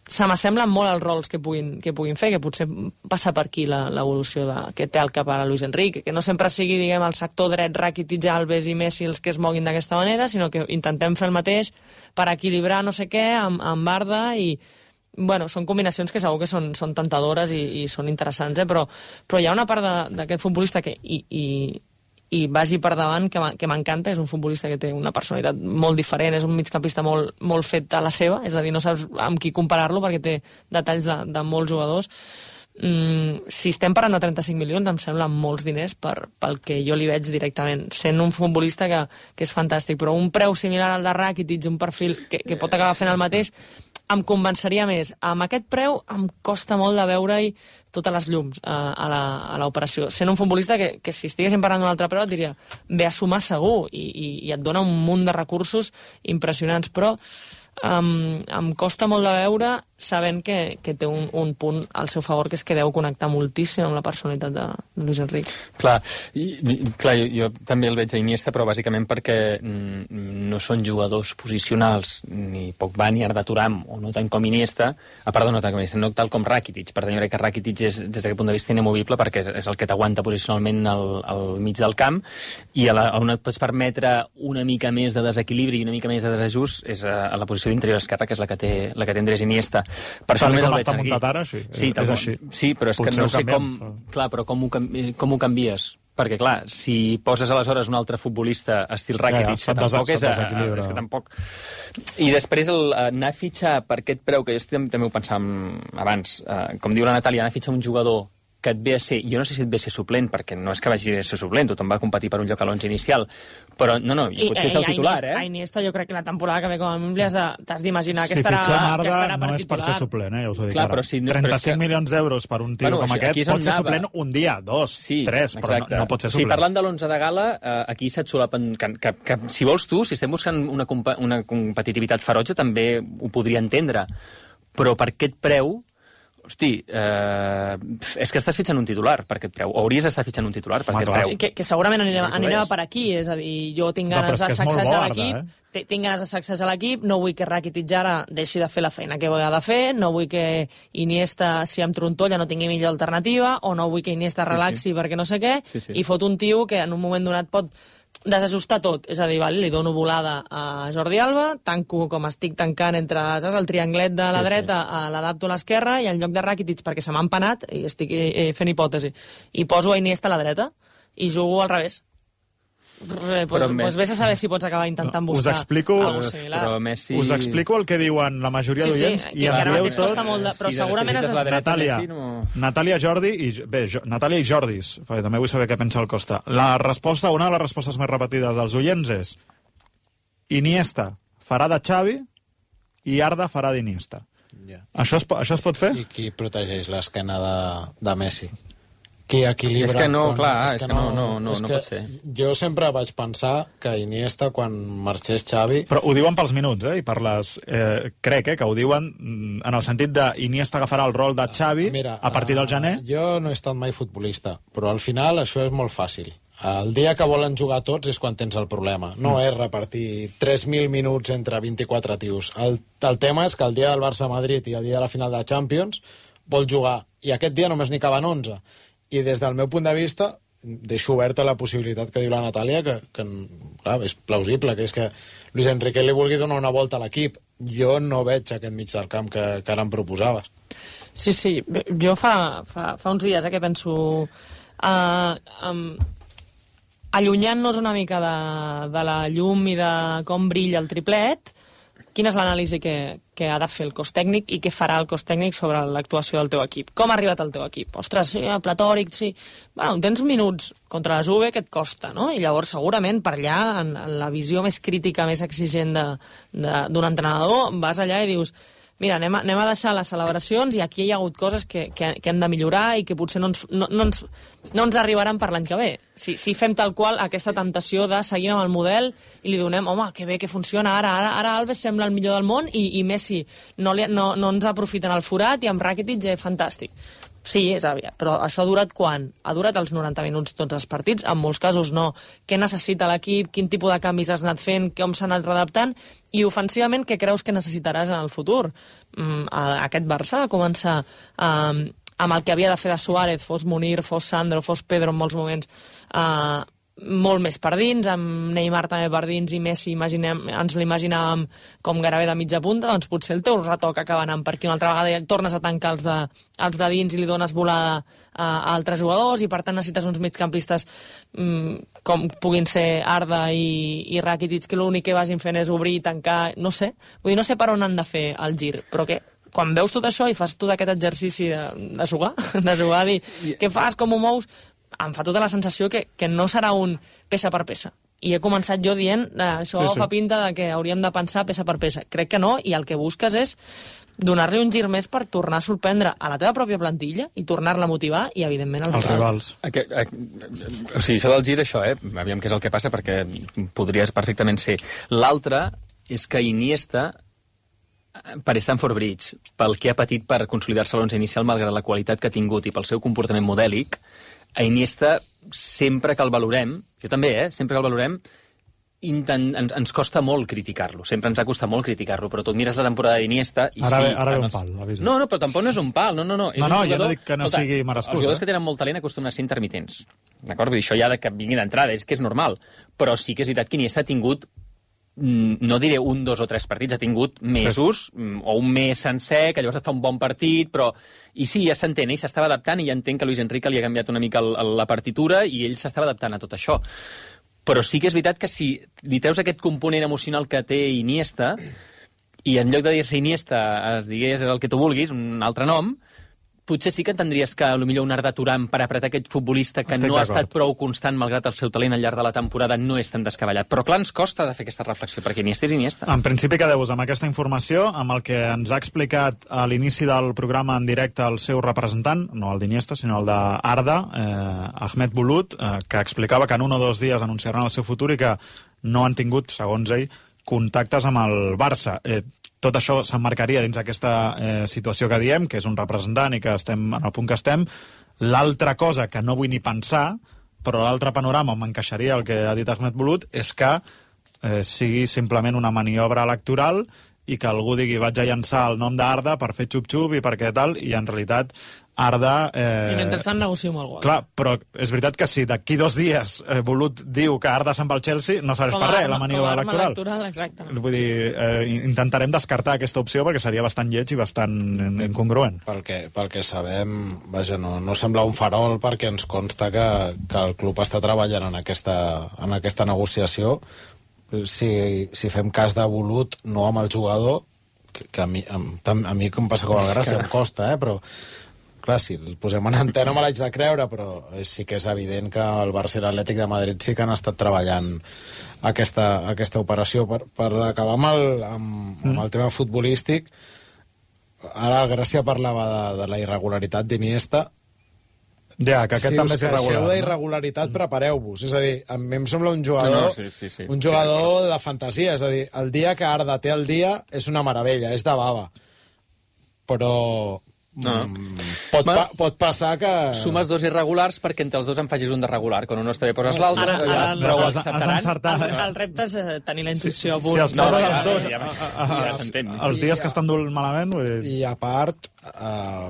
se m'assemblen molt els rols que puguin, que puguin fer, que potser passa per aquí l'evolució que té al cap ara Luis Enrique, que no sempre sigui, diguem, el sector dret Rakitic, Alves i Messi els que es moguin d'aquesta manera, sinó que intentem fer el mateix per equilibrar no sé què amb, amb Arda i, bueno, són combinacions que segur que són, són tentadores i, i són interessants, eh? però, però hi ha una part d'aquest futbolista que, i, i, i vagi per davant, que m'encanta. És un futbolista que té una personalitat molt diferent, és un migcampista molt, molt fet a la seva, és a dir, no saps amb qui comparar-lo perquè té detalls de, de molts jugadors. Mm, si estem parlant de trenta-cinc milions, em sembla molts diners per, pel que jo li veig directament, sent un futbolista que, que és fantàstic, però un preu similar al de Rakitic, un perfil que, que pot acabar fent el mateix, em convenceria més. Amb aquest preu em costa molt de veure-hi totes les llums uh, a l'operació. Sent un futbolista que, que si estiguéssim parlant d'un altre preu et diria ve a sumar segur i, i, i et dona un munt de recursos impressionants, però um, em costa molt de veure sabent que, que té un, un punt al seu favor, que és que deu connectar moltíssim amb la personalitat de, de Luis Enrique. Clar, i, clar jo, jo també el veig a Iniesta, però bàsicament perquè mm, no són jugadors posicionals, ni Pogba ni Arda Turam, o no tant com Iniesta, a part de no tant com Iniesta, no tal com Rakitic. Per tant, jo crec que Rakitic és, des d'aquest punt de vista, inamovible, perquè és el que t'aguanta posicionalment al, al mig del camp, i a la, on et pots permetre una mica més de desequilibri i una mica més de desajust és a, a la posició d'interior esquerra, que és la que té, la que té Andrés Iniesta. Per tal com està muntat ara, sí, sí, és així. Sí, però és Potser que no sé canviem, com... Però... Clar, però com ho, com ho canvies? Perquè, clar, si poses aleshores un altre futbolista estil Rakitic, ja, ja, que tampoc és, a, és que tampoc... I després el, anar a fitxar per aquest preu, que jo també ho pensàvem abans, eh, com diu la Natàlia, anar a fitxar un jugador que et ve a ser, jo no sé si et ve a ser suplent, perquè no és que vagi a ser suplent, tothom va competir per un lloc a l'onze inicial, però no, no, i potser I, és el titular, Iniesta, eh? A Iniesta jo crec que la temporada que ve com a mínim t'has d'imaginar que si estarà, Arda, que estarà per no és titular. per ser suplent, eh? Ja us ho dic Clar, ara. però si no, trenta-cinc però que... milions d'euros per un tio bueno, com això, aquest pot ser anava. suplent un dia, dos, sí, tres, però no, no pot ser suplent. Sí, parlant de l'onze de gala, eh, aquí se't solapen... Que, que, que, si vols tu, si estem buscant una, compa una competitivitat ferotge, també ho podria entendre. Però per aquest preu, hosti, eh, és que estàs fitxant un titular per aquest preu, o hauries d'estar fitxant un titular per Home, aquest preu. Que, que segurament anirem, anirem per aquí, és a dir, jo tinc ganes no, de sacsejar l'equip, eh? tinc ganes de sacsejar l'equip, no vull que Rakitic ara deixi de fer la feina que ha de fer, no vull que Iniesta, si em trontolla, no tingui millor alternativa, o no vull que Iniesta relaxi sí, sí. perquè no sé què, sí, sí. i fot un tio que en un moment donat pot desajustar tot, és a dir, vale, li dono volada a Jordi Alba, tanco com estic tancant entre saps, el trianglet de la sí, dreta, sí. l'adapto a l'esquerra, i en lloc de Rakitic, perquè se m'ha empanat, i estic eh, fent hipòtesi, i poso a Iniesta a la dreta, i jugo al revés. Pues, pues vés a saber si pots acabar intentant buscar us explico, alguna cosa similar. Però Messi... Us explico el que diuen la majoria sí, d'oients sí, i em dieu tots... De, però sí, segurament has de... Natàlia, no... Natàlia, Jordi i... Bé, jo, Natàlia i Jordis, perquè també vull saber què pensa el Costa. La resposta, una de les respostes més repetides dels oients és Iniesta farà de Xavi i Arda farà d'Iniesta. Yeah. Això, es, això es pot fer? I qui protegeix l'esquena de, de Messi? Qui equilibra... És que no, quan, clar, és és que que no, no, no, no pot ser. Jo sempre vaig pensar que Iniesta, quan marxés Xavi... Però ho diuen pels minuts, eh? I per les... Eh, crec, eh, que ho diuen en el sentit de Iniesta agafarà el rol de Xavi Mira, a partir del gener. Uh, jo no he estat mai futbolista, però al final això és molt fàcil. El dia que volen jugar tots és quan tens el problema. No mm. és repartir tres mil minuts entre vint-i-quatre tios. El, el tema és que el dia del Barça-Madrid i el dia de la final de Champions vol jugar, i aquest dia només n'hi caben onze. I des del meu punt de vista deixo oberta la possibilitat que diu la Natàlia, que, que clar, és plausible, que és que Luis Enrique li vulgui donar una volta a l'equip. Jo no veig aquest mig del camp que, que ara em proposaves. Sí, sí, jo fa, fa, fa uns dies eh, que penso... Uh, um, allunyant-nos una mica de, de la llum i de com brilla el triplet, quina és l'anàlisi que, que ha de fer el cos tècnic i què farà el cos tècnic sobre l'actuació del teu equip. Com ha arribat el teu equip? Ostres, sí, platòric, sí... Bueno, tens minuts contra la Juve que et costa, no? I llavors, segurament, per allà, en, en la visió més crítica, més exigent d'un entrenador, vas allà i dius... Mira, anem a, anem a deixar les celebracions i aquí hi ha hagut coses que, que, que hem de millorar i que potser no ens, no, no ens, no ens arribaran per l'any que ve. Si, si fem tal qual aquesta tentació de seguir amb el model i li donem, home, que bé, que funciona, ara ara, ara Alves sembla el millor del món i, i Messi no, li, no, no ens aprofiten el forat i amb Rakitic és fantàstic. Sí, és aviat, però això ha durat quan? Ha durat els noranta minuts tots els partits? En molts casos no. Què necessita l'equip? Quin tipus de canvis has anat fent? Com s'ha anat redactant? I ofensivament, què creus que necessitaràs en el futur? Mm, aquest Barça va començar um, amb el que havia de fer de Suárez, fos Munir, fos Sandro, fos Pedro en molts moments, uh, molt més per dins, amb Neymar també per dins i Messi imaginem, ens l'imaginàvem com gairebé de mitja punta, doncs potser el teu retoc acaba anant per aquí una altra vegada i tornes a tancar els de, els de dins i li dones volada a, a altres jugadors i per tant necessites uns migcampistes mm, com puguin ser Arda i, i Rakitic, que l'únic que vagin fent és obrir i tancar, no sé, vull dir, no sé per on han de fer el gir, però que quan veus tot això i fas tot aquest exercici de, de jugar, de jugar, dir què fas, com ho mous, em fa tota la sensació que, que no serà un peça per peça. I he començat jo dient eh, això sí, sí. fa pinta de que hauríem de pensar peça per peça. Crec que no, i el que busques és donar-li un gir més per tornar a sorprendre a la teva pròpia plantilla i tornar-la a motivar i, evidentment, als els rivals. Aqu aqu o sigui, això del gir, això, eh? Aviam què és el que passa, perquè podries perfectament ser. L'altre és que Iniesta, per Stamford Bridge, pel que ha patit per consolidar-se a l'onze inicial, malgrat la qualitat que ha tingut i pel seu comportament modèlic, a Iniesta, sempre que el valorem, jo també, eh? Sempre que el valorem, intent, ens, ens costa molt criticar-lo. Sempre ens ha costat molt criticar-lo, però tu mires la temporada d'Iniesta i ara sí... Ve, ara ve un els... pal, avisa. No, no, però tampoc no és un pal, no, no, no. És no, no, un jugador... jo no dic que no Escolta, sigui merescut. Els jugadors eh? que tenen molt talent acostumen a ser intermitents. D'acord? Vull dir, això ja de que vingui d'entrada, és que és normal. Però sí que és veritat que Iniesta ha tingut, no diré un, dos o tres partits, ha tingut mesos, sí. o un mes sencer, que llavors ha estat un bon partit, però... I sí, ja s'entén, ell s'estava adaptant, i ja entenc que Luis Enrique li ha canviat una mica el, el, la partitura, i ell s'estava adaptant a tot això. Però sí que és veritat que si li treus aquest component emocional que té Iniesta, i en lloc de dir-se Iniesta es digués el que tu vulguis, un altre nom, potser sí que entendries que potser un Arda Turan per apretar aquest futbolista que Estic no ha estat prou constant malgrat el seu talent al llarg de la temporada no és tan descabellat. Però clar, ens costa de fer aquesta reflexió, perquè Iniesta és Iniesta. En principi quedeu-vos amb aquesta informació, amb el que ens ha explicat a l'inici del programa en directe el seu representant, no el d'Iniesta, sinó el d'Arda, eh, Ahmed Bulut, eh, que explicava que en un o dos dies anunciaran el seu futur i que no han tingut, segons ell, contactes amb el Barça. Eh, tot això s'emmarcaria dins aquesta eh, situació que diem, que és un representant i que estem en el punt que estem. L'altra cosa que no vull ni pensar, però l'altre panorama on m'encaixaria el que ha dit Ahmed Bulut, és que eh, sigui simplement una maniobra electoral i que algú digui vaig a llançar el nom d'Arda per fer xup-xup i perquè tal, i en realitat Arda... Eh... I mentrestant negocio amb algú. Clar, però és veritat que si d'aquí dos dies eh, Bulut diu que Arda se'n va al Chelsea, no serveix per res la maniobra electoral. electoral exactament. Vull dir, eh, intentarem descartar aquesta opció perquè seria bastant lleig i bastant incongruent. Pel que, pel que sabem, vaja, no, no sembla un farol perquè ens consta que, que el club està treballant en aquesta, en aquesta negociació. Si, si fem cas de Bulut, no amb el jugador, que, que a mi, a, a mi com passa com el Gràcia, em costa, eh, però... Clar, si el posem en antena me l'haig de creure, però sí que és evident que el Barça i l'Atlètic de Madrid sí que han estat treballant aquesta, aquesta operació. Per, per acabar amb el, amb, amb el tema futbolístic, ara Gràcia parlava de, de la irregularitat d'Iniesta. Ja, que aquest si també és irregular. Si us queixeu d'irregularitat, prepareu-vos. És a dir, a mi em sembla un jugador, no, no, sí, sí, sí. un jugador de fantasia. És a dir, el dia que Arda té el dia és una meravella, és de bava. Però... No. Pot, pa pot passar que... Sumes dos irregulars perquè entre els dos en facis un de regular. Quan un no està bé poses l'altre, Ara- ara el- però ho has de- has acceptaran. d'encertar. El, el repte és eh, tenir la intuïció. Si els No, poses ja, els dos ja, ja, a- a- ja s'entén. els dies que estan duent malament, vull dir... I a part, eh,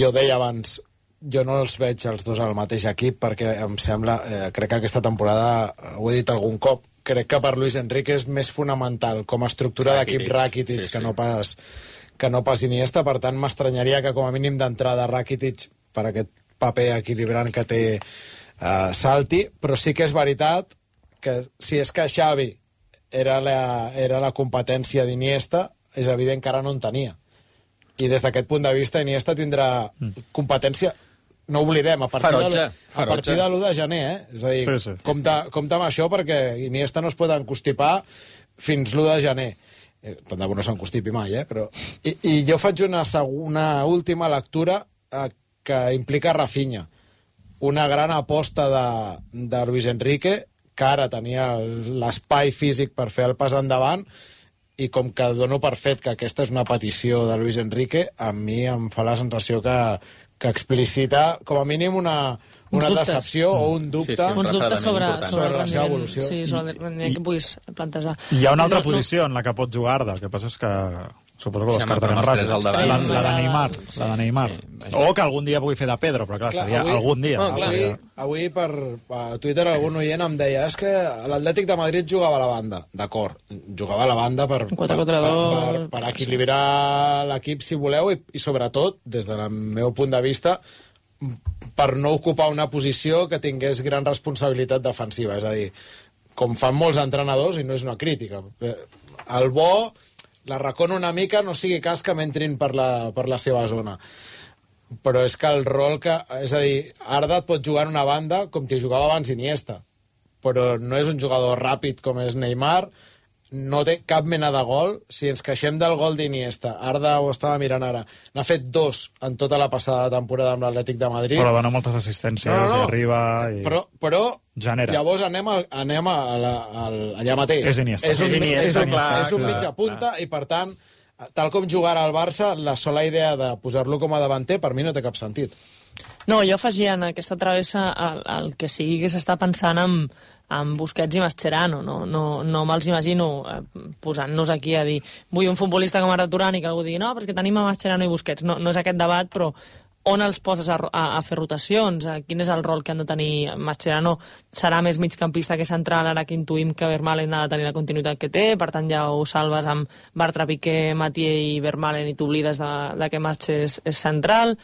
jo deia abans, jo no els veig els dos al mateix equip perquè em sembla, eh, crec que aquesta temporada, eh, ho he dit algun cop, crec que per Luis Enrique és més fonamental com a estructura d'equip Rakitic, sí, sí. que no pas que no pas Iniesta, per tant m'estranyaria que com a mínim d'entrada Rakitic per aquest paper equilibrant que té eh, salti, però sí que és veritat que si és que Xavi era la, era la competència d'Iniesta, és evident que ara no en tenia. I des d'aquest punt de vista Iniesta tindrà competència, no oblidem, a partir, Ferotge, de, a ferotge. partir de l'u de gener, eh? És a dir, Sí, sí. compte, compte amb això perquè Iniesta no es pot encostipar fins l'u de gener. Eh, tant de bo no s'encostipi mai, eh? Però... I, I jo faig una, una última lectura eh, que implica Rafinha. Una gran aposta de, de Luis Enrique, que ara tenia l'espai físic per fer el pas endavant, i com que dono per fet que aquesta és una petició de Luis Enrique, a mi em fa la sensació que, que explicita com a mínim una, una decepció o un dubte. Sí, sí, Uns dubtes sobre, important. sobre, Sobre la seva evolució. Sí, sobre el rendiment que puguis plantejar. Hi ha una altra No, no. posició en la que pot jugar Arda, el que passa és que Suposo que ho Sí, descartarem amb els tres ràpid. al davant. La, la de Neymar. La de Neymar. Sí, O que algun dia pugui fer de Pedro, però clar, Clar, seria avui- algun dia. Oh, clar. Avui, avui per, per Twitter algun oient em deia és que l'Atlètic de Madrid jugava a la banda. D'acord, jugava a la banda per, per, quatre per, contra dos. per, per equilibrar l'equip, si voleu, i, i sobretot, des del meu punt de vista, per no ocupar una posició que tingués gran responsabilitat defensiva. És a dir, com fan molts entrenadors, i no és una crítica. El bo, la racona una mica, no sigui cas que m'entrin per la, per la seva zona. Però és que el rol que... És a dir, Arda et pot jugar en una banda com t'hi jugava abans Iniesta, però no és un jugador ràpid com és Neymar, no té cap mena de gol. Si ens queixem del gol d'Iniesta, Arda ho estava mirant ara, n'ha fet dos en tota la passada temporada amb l'Atlètic de Madrid. Però dona moltes assistències, No, no, no. i arriba... I... Però, però Genera. llavors anem, al, anem a, a la, al, allà mateix. És Iniesta. És un, És Iniesta, és un, clar, és un clar, mitja punta i, per tant, tal com jugarà al Barça, la sola idea de posar-lo com a davanter per mi no té cap sentit. No, jo afegia en aquesta travessa el, el que sigui que s'està pensant en, en Busquets i Mascherano. No, no, no me'ls imagino eh, posant-nos aquí a dir vull un futbolista com Arda Turan i que algú digui no, però és que tenim a Mascherano i Busquets. No, no és aquest debat, però on els poses a, a, a fer rotacions? A quin és el rol que han de tenir? Mascherano serà més migcampista que central, ara que intuïm que Vermaelen ha de tenir la continuïtat que té, per tant ja ho salves amb Bartra, Piqué, Mathieu i Vermaelen i t'oblides de, de que Masche és, és central.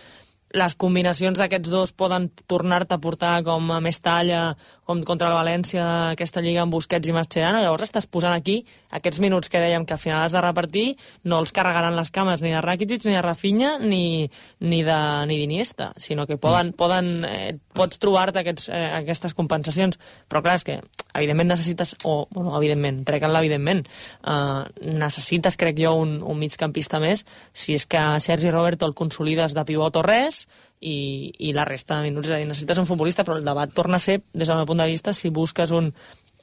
Les combinacions d'aquests dos poden tornar-te a portar com a més talla, com contra el València, aquesta lliga amb Busquets i Mascherano. Llavors estàs posant aquí aquests minuts que dèiem que al final has de repartir, no els carregaran les cames ni de Rakitic, ni de Rafinha, ni, ni de ni d'Iniesta, sinó que poden, poden, eh, pots trobar-te aquests, eh, aquestes compensacions. Però clar, és que evidentment necessites, o, bueno, evidentment, trec en l'evidentment, eh, necessites, crec jo, un, un migcampista més, si és que Sergi Roberto el consolides de pivot o res, i, i la resta de minuts. És a dir, necessites un futbolista, però el debat torna a ser, des del meu punt de vista, si busques un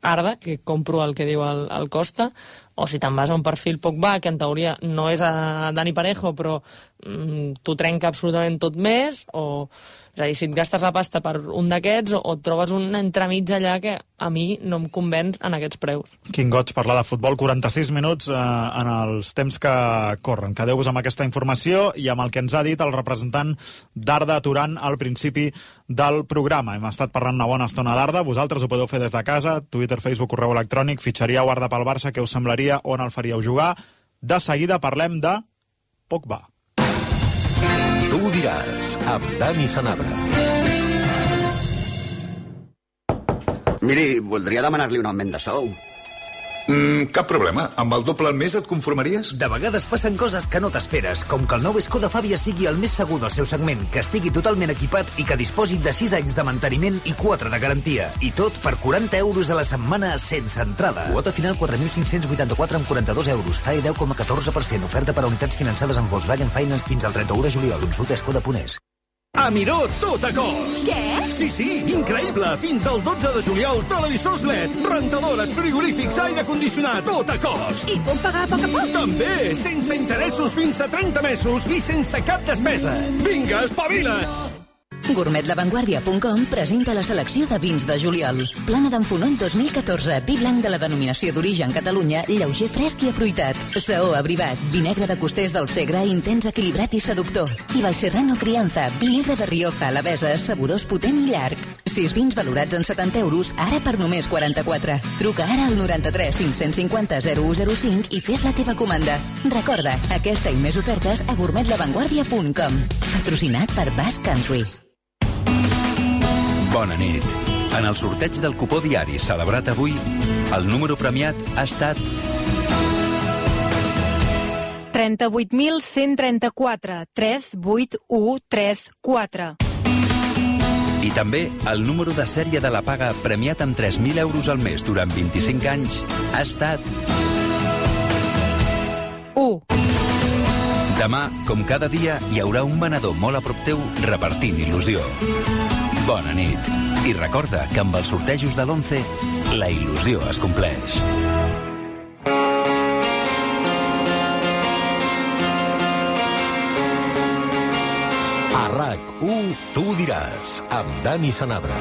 Arda, que compro el que diu el, el Costa, o si te'n vas a un perfil Pogba, que en teoria no és a Dani Parejo, però mm, t'ho trenca absolutament tot més, o... És a dir, si et gastes la pasta per un d'aquests, o, o et trobes un entremig allà que a mi no em convenç en aquests preus. Quin goig parlar de futbol, quaranta-sis minuts eh, en els temps que corren. Quedeu-vos amb aquesta informació i amb el que ens ha dit el representant d'Arda Turan al principi del programa. Hem estat parlant una bona estona d'Arda, vosaltres ho podeu fer des de casa, Twitter, Facebook, correu electrònic, fitxaríeu Arda pel Barça, què us semblaria, on el faríeu jugar? De seguida parlem de Pogba. Tu ho diràs, amb Dani Sanabra. Miri, voldria demanar-li un augment de sou. Mm, cap problema. Amb el doble al mes et conformaries? De vegades passen coses que no t'esperes, com que el nou Skoda Fabia sigui el més segur del seu segment, que estigui totalment equipat i que disposi de sis anys de manteniment i quatre de garantia. I tot per quaranta euros a la setmana sense entrada. Quota final quatre mil cinc-cents vuitanta-quatre amb quaranta-dos euros. T A E deu coma catorze per cent. Oferta per a unitats finançades amb Volkswagen Finance fins al trenta-u de juliol. Consulta skoda punt es. A Miró, tot a cost! Què? Sí, sí, increïble! Fins al dotze de juliol, televisors L E D, rentadores, frigorífics, aire condicionat, tot a cost! I puc pagar a poc a poc? També, sense interessos fins a trenta mesos i sense cap despesa. Vinga, espavila! gourmet la vanguardia punt com presenta la selecció de vins de juliol. Plana d'en Fonoll dos mil catorze, vi blanc de la denominació d'origen Catalunya, lleuger fresc i afruitat. Saó abrivat, vi negre de costers del Segre, intens, equilibrat i seductor. I Valserrano Crianza, vi negre de Rioja, Alavesa, saborós, potent i llarg. Sis vins valorats en setanta euros, ara per només quaranta-quatre. Truca ara al noranta-tres cinc-cents cinquanta zero u zero cinc i fes la teva comanda. Recorda, aquesta i més ofertes a gourmet la vanguardia punt com. Patrocinat per Basque Country. Bona nit. En el sorteig del cupó diari celebrat avui, el número premiat ha estat trenta-vuit mil cent trenta-quatre, tres vuit u tres quatre. i també el número de sèrie de la paga premiat amb tres mil euros al mes durant vint-i-cinc anys ha estat u. Demà, com cada dia, hi haurà un venedor molt a prop teu repartint il·lusió. Bona nit. I recorda que amb els sortejos de l'once, la il·lusió es compleix. A RAC u, tu ho diràs, amb Dani Sanabra.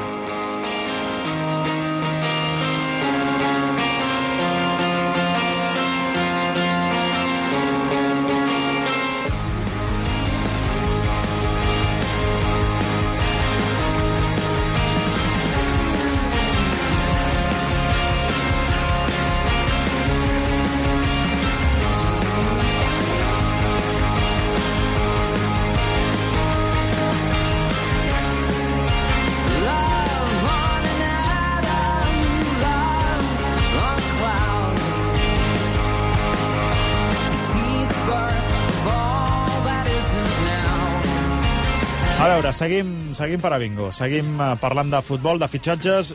A veure, seguim, seguim per a bingo. Seguim uh, parlant de futbol, de fitxatges,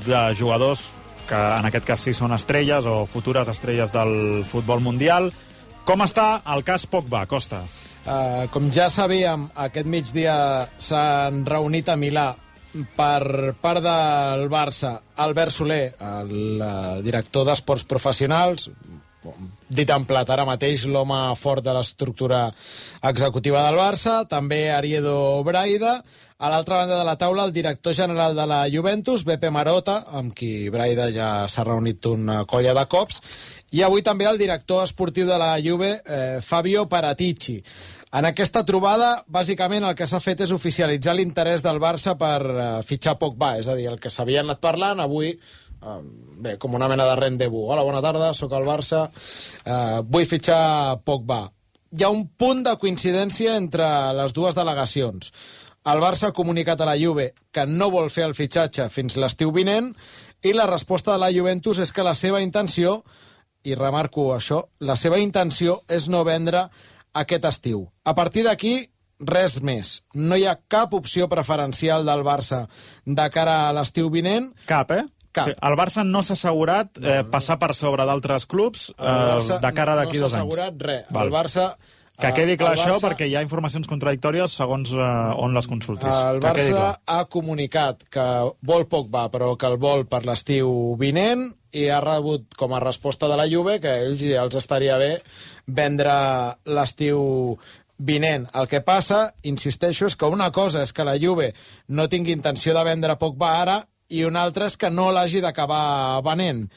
de jugadors que en aquest cas sí són estrelles o futures estrelles del futbol mundial. Com està el cas Pogba, Costa? Uh, com ja sabíem, aquest migdia s'han reunit a Milà per part del Barça Albert Soler, el uh, director d'Esports Professionals, dit en plat ara mateix l'home fort de l'estructura executiva del Barça, també Ariedo Braida, a l'altra banda de la taula el director general de la Juventus, Beppe Marotta, amb qui Braida ja s'ha reunit una colla de cops, i avui també el director esportiu de la Juve, eh, Fabio Paratici. En aquesta trobada, bàsicament, el que s'ha fet és oficialitzar l'interès del Barça per eh, fitxar Pogba, és a dir, el que s'havia anat parlant, avui, eh, bé, com una mena de rendezvous. Hola, bona tarda, sóc al Barça, eh, vull fitxar Pogba. Hi ha un punt de coincidència entre les dues delegacions. El Barça ha comunicat a la Juve que no vol fer el fitxatge fins l'estiu vinent i la resposta de la Juventus és que la seva intenció, i remarco això, la seva intenció és no vendre aquest estiu. A partir d'aquí, res més. No hi ha cap opció preferencial del Barça de cara a l'estiu vinent. Cap, eh? Cap. Sí, el Barça no s'ha assegurat eh, no, no. passar per sobre d'altres clubs eh, de cara d'aquí no dos anys. No s'ha assegurat res. Val. El Barça... Que quedi clar Barça, això, perquè hi ha informacions contradictòries segons eh, on les consultis. El que Barça ha comunicat que vol Pogba, però que el vol per l'estiu vinent, i ha rebut com a resposta de la Juve que ells ja els estaria bé vendre l'estiu vinent. El que passa, insisteixo, és que una cosa és que la Juve no tingui intenció de vendre Pogba ara i una altra és que no l'hagi d'acabar venent.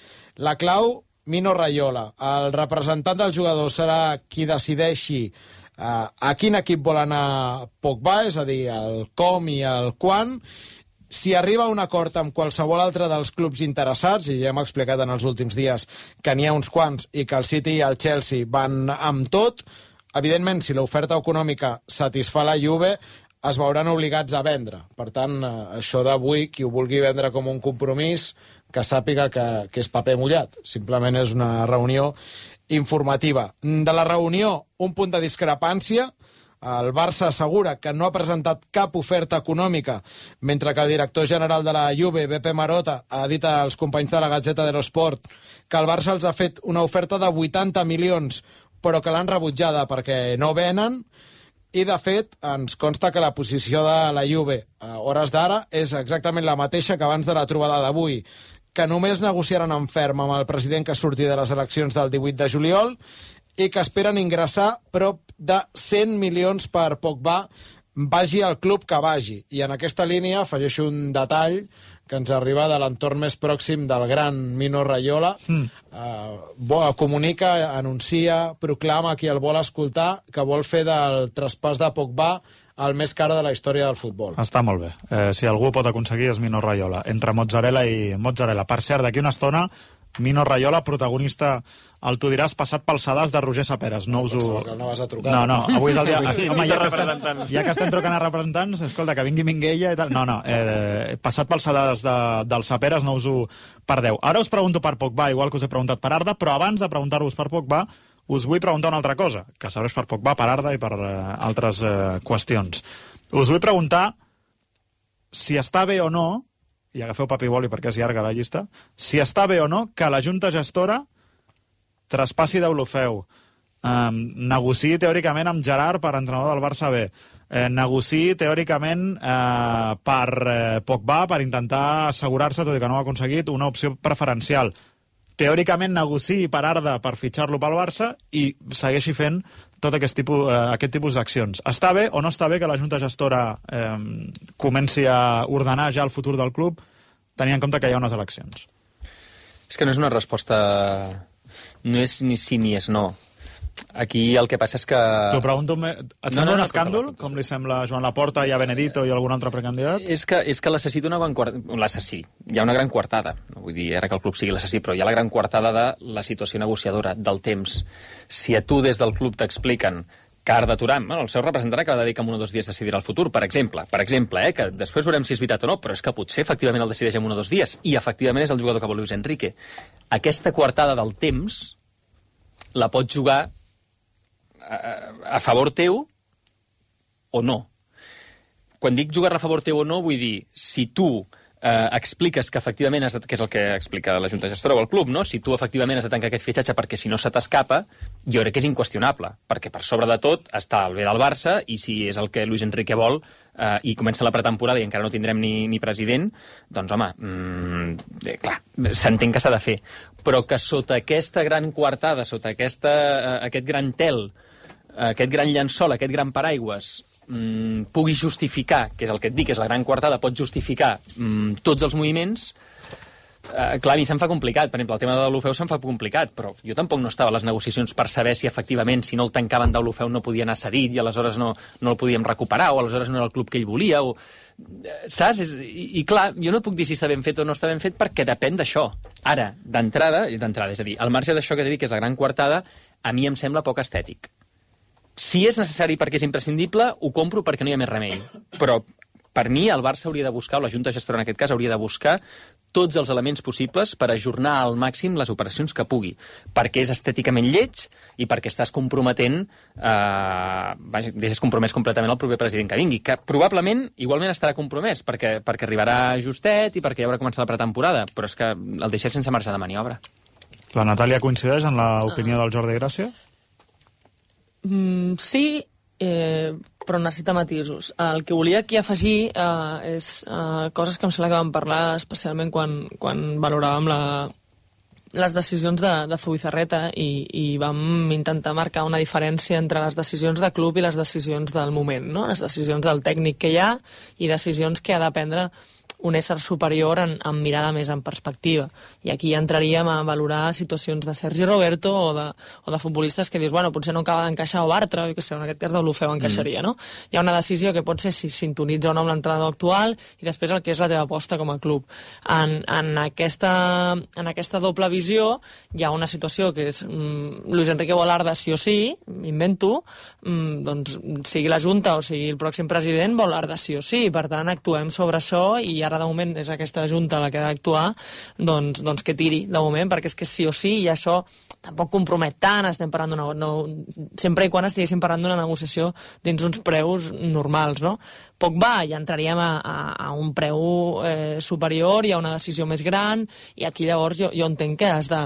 La clau, Mino Raiola. El representant del jugador serà qui decideixi uh, a quin equip vol anar Pogba, és a dir, el com i el quan. Si arriba a un acord amb qualsevol altre dels clubs interessats, i ja hem explicat en els últims dies que n'hi ha uns quants i que el City i el Chelsea van amb tot, evidentment, si l'oferta econòmica satisfà la Juve, es veuran obligats a vendre. Per tant, això d'avui, qui ho vulgui vendre com un compromís, que sàpiga que, que és paper mullat. Simplement és una reunió informativa. De la reunió, un punt de discrepància. El Barça assegura que no ha presentat cap oferta econòmica, mentre que el director general de la Juve, Beppe Marotta, ha dit als companys de la Gazzetta dello Sport que el Barça els ha fet una oferta de vuitanta milions, però que l'han rebutjada perquè no venen. I, de fet, ens consta que la posició de la Juve a hores d'ara és exactament la mateixa que abans de la trobada d'avui, que només negociaran en ferm amb el president que surti de les eleccions del divuit de juliol i que esperen ingressar prop de cent milions per Pogba, vagi al club que vagi. I en aquesta línia afegeixo un detall que ens arriba de l'entorn més pròxim del gran Mino Raiola. Mm. Uh, comunica, anuncia, proclama qui el vol escoltar que vol fer del traspàs de Pogba el més car de la història del futbol. Està molt bé. Eh, si algú pot aconseguir és Mino Raiola, entre mozzarella i mozzarella. Per cert, d'aquí una estona, Mino Raiola, protagonista, el tu diràs, passat pel sedàs de Roger Saperes. No us ho... Que no vas a trucar. No, no, avui és el dia... Sí, home, ja que, estem, ja que estem trucant a representants, escolta, que vingui Minguella i tal... No, no, eh, passat pel sedàs de, del Saperes, no us ho perdeu. Ara us pregunto per Pogba, igual que us he preguntat per Arda, però abans de preguntar-vos per Pogba, us vull preguntar una altra cosa, que serveix per Pogba, per Arda i per eh, altres eh, qüestions. Us vull preguntar si està bé o no, i agafeu paper i boli perquè és llarga la llista, si està bé o no que la Junta Gestora traspassi d'Olofeu, eh, negociï teòricament amb Gerard per entrenador del Barça B, eh, negociï teòricament eh, per eh, Pogba per intentar assegurar-se, tot i que no ho ha aconseguit, una opció preferencial. Teòricament negociï per Arda per fitxar-lo pel Barça i segueixi fent tot aquest tipus, eh, aquest tipus d'accions. Està bé o no està bé que la Junta Gestora eh, comenci a ordenar ja el futur del club tenint en compte que hi ha unes eleccions? És que no és una resposta... No és ni sí ni és no. Aquí el que passa és que... T'ho pregunto... Et sembla no, no, un escàndol, com li sembla a Joan Laporta i a Benedito i a algun altre precandidat? És que, és que l'assassí d'una gran coartada... L'assassí. Hi ha una gran coartada. No vull dir ara que el club sigui l'assassí, però hi ha la gran coartada de la situació negociadora, del temps. Si a tu des del club t'expliquen que Arda Turan, bueno, el seu representant acaba de dir que en un o dos dies decidirà el futur, per exemple, per exemple, eh, que després veurem si és veritat o no, però és que potser efectivament el decideix en un o dos dies, i efectivament és el jugador que vol Luis Enrique. Aquesta coartada del temps la pots jugar a, a favor teu o no. quan dic jugar-la a favor teu o no, vull dir, si tu eh, expliques que efectivament, has de, que és el que explica la Junta Gestora o el club, no? Si tu efectivament has de tancar aquest fitxatge perquè si no se t'escapa, jo crec que és inqüestionable, perquè per sobre de tot està el bé del Barça i si és el que Luis Enrique vol eh, i comença la pretemporada i encara no tindrem ni, ni president, doncs home, mmm, eh, clar, s'entén que s'ha de fer. Però que sota aquesta gran coartada, sota aquesta, eh, aquest gran tel, eh, aquest gran llençol, aquest gran paraigües, Mm, pugui justificar, que és el que et dic, és la gran coartada, pot justificar mm, tots els moviments, eh, clar, a mi se'm fa complicat. Per exemple, el tema de l'Olofeu se'm fa complicat, però jo tampoc no estava a les negociacions per saber si efectivament, si no el tancaven d'Olofeu no podia anar cedit i aleshores no, no el podíem recuperar, o aleshores no era el club que ell volia, o... saps? És, i, I clar, jo no puc dir si està ben fet o no està ben fet perquè depèn d'això. Ara, d'entrada, d'entrada, és a dir, al marge d'això que t'he dit, que és la gran coartada, a mi em sembla poc estètic. Si és necessari perquè és imprescindible, ho compro perquè no hi ha més remei. Però, per mi, el Barça hauria de buscar, o la Junta Gestora en aquest cas, hauria de buscar tots els elements possibles per ajornar al màxim les operacions que pugui. Perquè és estèticament lleig i perquè estàs comprometent, eh, vaja, deixes compromès completament el proper president que vingui, que probablement igualment estarà compromès, perquè, perquè arribarà justet i perquè ja haurà començat la pretemporada, però és que el deixes sense marge de maniobra. La Natàlia coincideix en l'opinió del Jordi Gràcia? Mm, sí, eh, però necessita matisos. El que volia aquí afegir eh, és eh, coses que em sembla que vam parlar especialment quan, quan valoràvem la, les decisions de, de Zubizarreta i, i vam intentar marcar una diferència entre les decisions de club i les decisions del moment, no? Les decisions del tècnic que hi ha i decisions que ha de prendre un ésser superior en, en mirada més en perspectiva. I aquí entraríem a valorar situacions de Sergi Roberto o de, o de futbolistes que dius, bueno, potser no acaba d'encaixar o Bartra, que sé, en aquest cas d'Olofeu encaixaria, mm. no? Hi ha una decisió que pot ser si sintonitza o no amb l'entrenador actual i després el que és la teva aposta com a club. En, en, aquesta, en aquesta doble visió hi ha una situació que és mm, Luis Enrique Bolarda sí o sí, invento, mm, doncs sigui la Junta o sigui el pròxim president, Bolarda sí o sí, per tant actuem sobre això i ara de moment és aquesta Junta la que ha d'actuar, doncs, doncs que tiri de moment, perquè és que sí o sí i això tampoc compromet tant, estem parlant d'una... No, sempre i quan estiguéssim parlant d'una negociació dins uns preus normals, no? Poc va, ja entraríem a, a, a un preu eh, superior i a una decisió més gran i aquí llavors jo, jo entenc que has de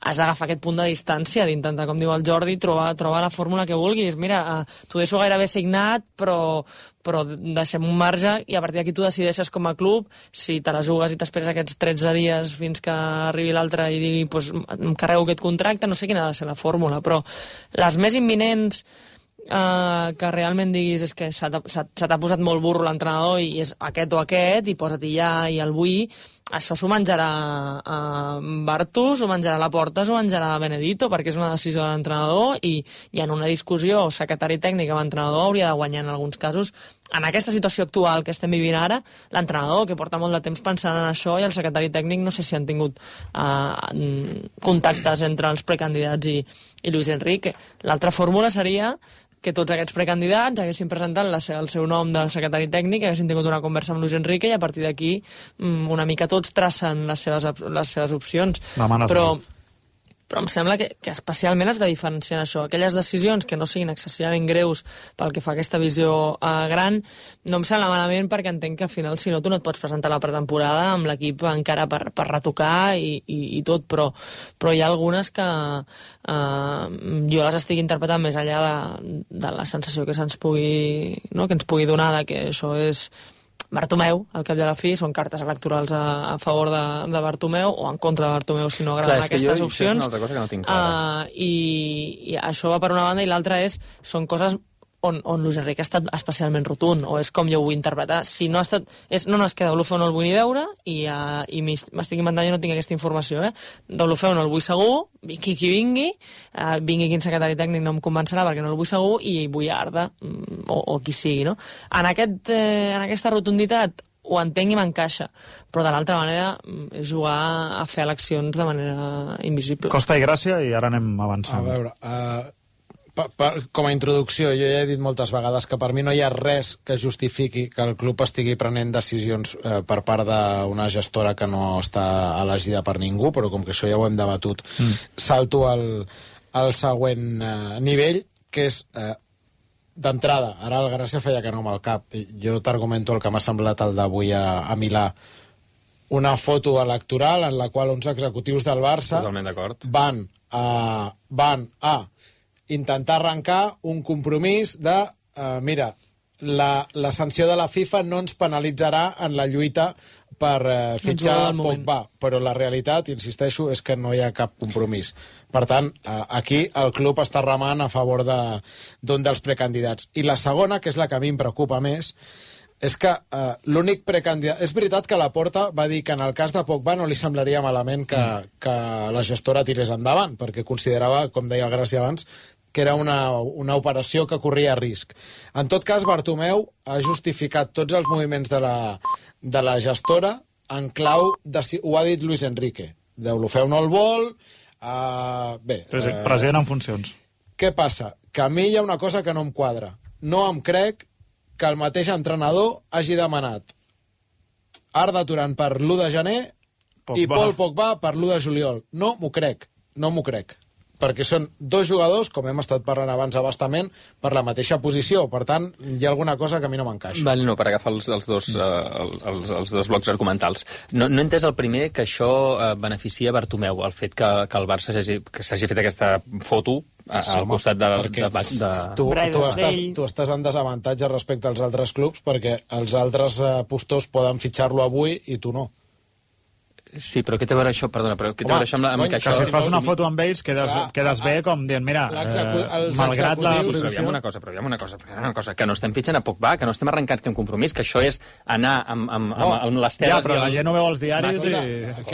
has d'agafar aquest punt de distància, d'intentar, com diu el Jordi, trobar, trobar la fórmula que vulguis. Mira, eh, t'ho deixo gairebé signat, però, però deixem un marge i a partir d'aquí tu decideixes com a club si te la jugues i t'esperes aquests tretze dies fins que arribi l'altre i digui pues, em carrego aquest contracte, no sé quina ha de ser la fórmula, però les més imminents eh, que realment diguis és que se t'ha posat molt burro l'entrenador i és aquest o aquest i posa-t'hi ja i el vull, això s'ho menjarà a Bartu, s'ho menjarà Laporta, s'ho menjarà Benedito, perquè és una decisió de l'entrenador i, i en una discussió secretari tècnic amb l'entrenador hauria de guanyar en alguns casos. En aquesta situació actual que estem vivint ara, l'entrenador, que porta molt de temps pensant en això, i el secretari tècnic no sé si han tingut eh, contactes entre els precandidats i, i Luis Enrique. L'altra fórmula seria que tots aquests precandidats haguessin presentat la, el seu nom de secretari tècnic, haguessin tingut una conversa amb Luis Enrique i a partir d'aquí una mica tots tracen les seves, les seves opcions. Però, però em sembla que, que especialment has de diferenciar això. Aquelles decisions que no siguin excessivament greus pel que fa a aquesta visió eh, gran, no em sembla malament perquè entenc que al final, si no, tu no et pots presentar la pretemporada amb l'equip encara per, per retocar i, i, i tot, però, però hi ha algunes que eh, jo les estic interpretant més enllà de, de la sensació que se'ns pugui, no? que ens pugui donar de que això és Bartomeu, al cap de la fi, són cartes electorals a, a favor de, de Bartomeu o en contra de Bartomeu, si no agraden Clar, aquestes jo, opcions. Això és una altra cosa que no tinc clara. Uh, i, I això va per una banda, i l'altra és, són coses on, on Luis Enrique ha estat especialment rotund, o és com jo ho vull interpretar. Si no ha estat... És, no, no, és que d'Olofeu no el vull ni veure, i, uh, i m'estic inventant, jo no tinc aquesta informació, eh? D'Olofeu no el vull segur, qui qui vingui, uh, vingui quin secretari tècnic no em convencerà perquè no el vull segur, i vull Arda, o, o qui sigui, no? En, aquest, eh, en aquesta rotunditat ho entenc i m'encaixa, però de l'altra manera és jugar a fer eleccions de manera invisible. Costa i Gràcia, i ara anem avançant. A veure, uh, pa, pa, com a introducció, jo ja he dit moltes vegades que per mi no hi ha res que justifiqui que el club estigui prenent decisions uh, per part d'una gestora que no està elegida per ningú, però com que això ja ho hem debatut, mm. salto al, al següent uh, nivell, que és... Uh, d'entrada, ara el Gràcia feia que no amb el cap. Jo t'argumento el que m'ha semblat el d'avui a, a Milà. Una foto electoral en la qual uns executius del Barça van a, van a intentar arrencar un compromís de, uh, mira, la, la sanció de la FIFA no ens penalitzarà en la lluita per uh, fitxar Pogba, però la realitat, insisteixo, és que no hi ha cap compromís. Per tant, uh, aquí el club està remant a favor d'un de, dels precandidats. I la segona, que és la que a mi em preocupa més, és que uh, l'únic precandidat... És veritat que Laporta va dir que en el cas de Pogba no li semblaria malament que, que la gestora tirés endavant, perquè considerava, com deia el Gràcia abans, que era una, una operació que corria risc. En tot cas, Bartomeu ha justificat tots els moviments de la, de la gestora en clau, de, ho ha dit Luis Enrique. Deulofeu no el vol... Uh, bé... Uh, President en funcions. Què passa? Que a mi hi ha una cosa que no em quadra. No em crec que el mateix entrenador hagi demanat Arda Turan per l'u de gener Pogba. I Paul Pogba per l'u de juliol. No m'ho crec, no m'ho crec. Perquè són dos jugadors, com hem estat parlant abans abastament, per la mateixa posició. Per tant, hi ha alguna cosa que a mi no m'encaixa. Vale, no, per agafar els, els, dos, uh, els, els dos blocs argumentals. No, no he entès el primer que això uh, beneficia Bartomeu, el fet que, que el Barça s'hagi fet aquesta foto a, sí, al costat de... de, de, de... Tu, tu, estàs, tu estàs en desavantatge respecte als altres clubs perquè els altres uh, postors poden fitxar-lo avui i tu no. Sí, però què té a veure això? Perdona, però què té a veure això amb, la, amb que això... Que si fas una foto amb ells quedes, clar, quedes bé com dient, mira, eh, malgrat la... Sí, però aviam una cosa, però aviam una cosa, però aviam una cosa, que no estem fitxant a Pogba, que no estem arrencant cap compromís, que això és anar amb, amb, amb, amb, amb les teles... Ja, però la gent no veu els diaris i...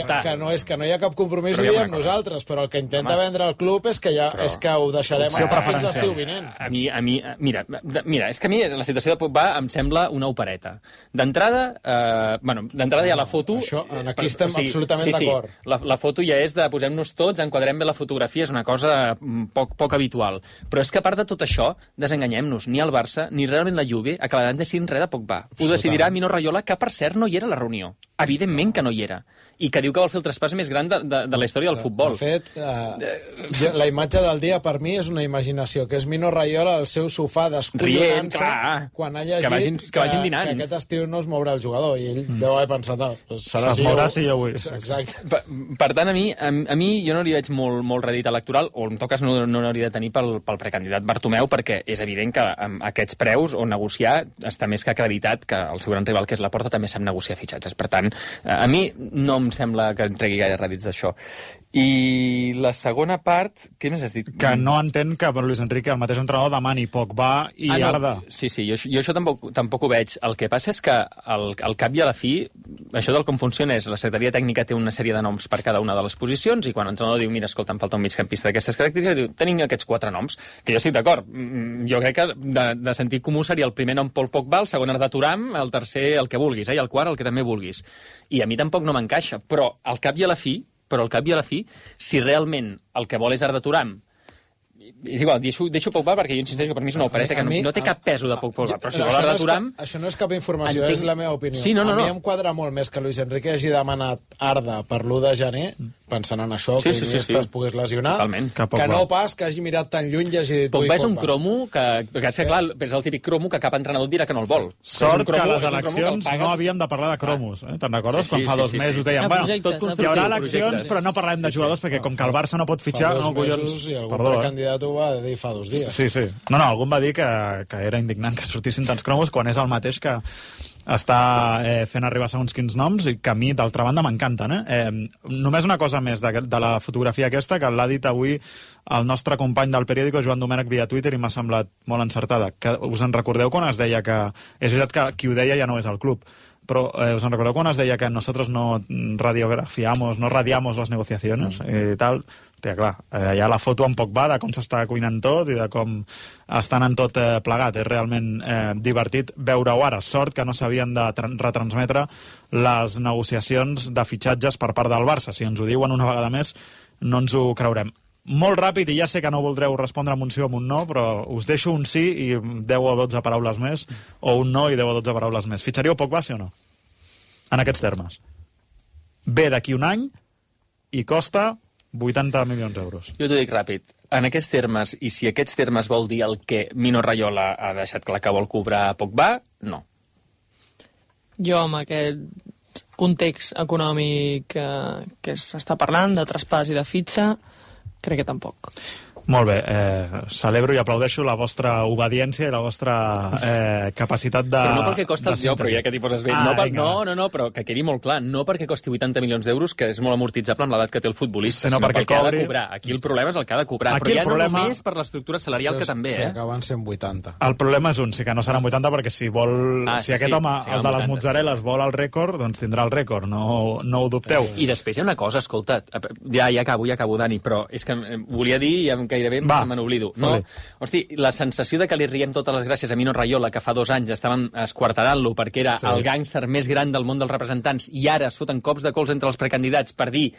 Que, que, no és, que no hi ha cap compromís, ho diem nosaltres, però el que intenta Home. vendre el club és que, ja, però... és que ho deixarem estar fins l'estiu vinent. A mi, a mi, mira, mira, és que a mi la situació de Pogba em sembla una opereta. D'entrada, eh, bueno, d'entrada hi ha la foto... Això, aquí estem absolutament d'acord. La, la foto ja és de posem-nos tots, enquadrem bé la fotografia, és una cosa poc, poc habitual. Però és que a part de tot això, desenganyem-nos, ni el Barça ni realment la Juve acabaran decidint res de Pogba. Ho decidirà Mino Raiola, que per cert no hi era a la reunió. Evidentment que no hi era. I que diu que vol fer el traspàs més gran de, de, de la història del futbol. De fet, eh, la imatge del dia per mi és una imaginació, que és Mino Raiola al seu sofà descollonant-se quan ha llegit que, vagin, que, vagin que, que aquest estiu no es mourà el jugador, i ell mm. deu haver pensat, oh, serà es si mourà jo... si jo vull. Exacte. Per, per tant, a mi, a, a mi jo no li veig molt, molt redit electoral, o en tot cas no, no n'hauria de tenir pel, pel precandidat Bartomeu, perquè és evident que amb aquests preus o negociar està més que acreditat que el seu gran rival, que és Laporta, també sap negociar fitxatges. Per tant, a mi no em sembla que entregui gaire rèdits d'això. I la segona part, què més has dit? Que no entén que Luis Enrique, el mateix entrenador, demani Pogba i ah, no. Arda. Sí, sí, jo, jo això tampoc, tampoc ho veig. El que passa és que al, al cap i a la fi, això del com funciona és la secretaria tècnica té una sèrie de noms per cada una de les posicions i quan l'entrenador diu, mira, escolta, em falta un migcampista d'aquestes característiques, diu, tenim aquests quatre noms, que jo estic d'acord. Jo crec que de, de sentit comú seria el primer nom Paul Pogba, el segon Arda Turan, el tercer el que vulguis, eh, i el quart el que també vulguis. I a mi tampoc no m'encaixa, però al cap i a la fi, però al cap i a la fi, si realment el que vol és Arda Turan, és igual, deixo, deixo Pogba perquè jo insisteixo que per mi és una opereta que no, no té cap peso de Pogba, però si vol Arda Turan... Això no és cap informació, entenc... és la meva opinió. Sí, no, no, a mi no. em quadra molt més que Luis Enrique hagi demanat Arda per l'u de gener, pensant en això, sí, que sí, sí, sí. es pogués lesionar, totalment. Que no pas que hagi mirat tan lluny i hagi dit... Pogba és un cromo que... Perquè és que, clar, és el típic cromo que cap entrenador dirà que no el vol. Sort que a les eleccions no havíem de parlar de cromos. Eh? Te'n recordes? Quan fa dos mesos deien, bueno, hi haurà eleccions, però no parlem de jugadors, perquè com que el Barça no pot fitxar... Fa dos mesos i algun precandidat ho va dir fa dos dies. Sí, sí. No, no, algú va dir que, que era indignant que sortissin tants cromos quan és el mateix que està eh, fent arribar segons quins noms i que a mi, d'altra banda, m'encanten. Eh? Eh, només una cosa més de, de la fotografia aquesta, que l'ha dit avui el nostre company del periòdico, Joan Domènech, via Twitter, i m'ha semblat molt encertada. Que us en recordeu quan es deia que... És veritat que qui ho deia ja no és el club, però eh, us en recordeu quan es deia que nosotros no radiografiamos, no radiamos las negociaciones mm. i tal... Hòstia, clar, eh, hi ha la foto amb Pogba de com s'està cuinant tot i de com estan en tot eh, plegat. És realment eh, divertit veure-ho ara. Sort que no s'havien de retransmetre les negociacions de fitxatges per part del Barça. Si ens ho diuen una vegada més, no ens ho creurem. Molt ràpid, i ja sé que no voldreu respondre amb un sí o amb un no, però us deixo un sí i deu o dotze paraules més, o un no i deu o dotze paraules més. Fitxaríeu Pogba, sí o no? En aquests termes. Ve d'aquí un any i costa vuitanta milions d'euros. Jo t'ho dic ràpid. en aquests termes, i si aquests termes vol dir el que Mino Raiola ha deixat clar que vol cobrar a Pogba, no. Jo, amb aquest context econòmic que, que s'està parlant, de traspàs i de fitxa, crec que tampoc. Molt bé, eh, celebro i aplaudeixo la vostra obediència i la vostra eh, capacitat de... Però no pel que costa el jo, però ja que t'hi poses bé. Ah, no, per, no, no, no, però que quedi molt clar, no perquè costi vuitanta milions d'euros, que és molt amortitzable amb l'edat que té el futbolista, sinó sinó perquè pel que ha cobri... de cobrar. Aquí el problema és el que ha de cobrar, Aquí però ja problema... no només per l'estructura salarial, que també, sí, eh? acaben sent vuitanta. El problema és un, sí que no seran vuitanta, perquè si vol... Ah, si sí, aquest sí, home, sí, el de les vuitanta. mozzarelles, vol el rècord, doncs tindrà el rècord, no, no ho dubteu. I després hi ha una cosa, escolta't, ja, ja acabo, ja acabo, Dani, però és que volia dir, ja gairebé Va, me n'oblido. No, hosti, la sensació de que li riem totes les gràcies a Mino Raiola, que fa dos anys estaven esquarterant-lo perquè era Sí. el gàngster més gran del món dels representants, i ara es foten cops de cols entre els precandidats per dir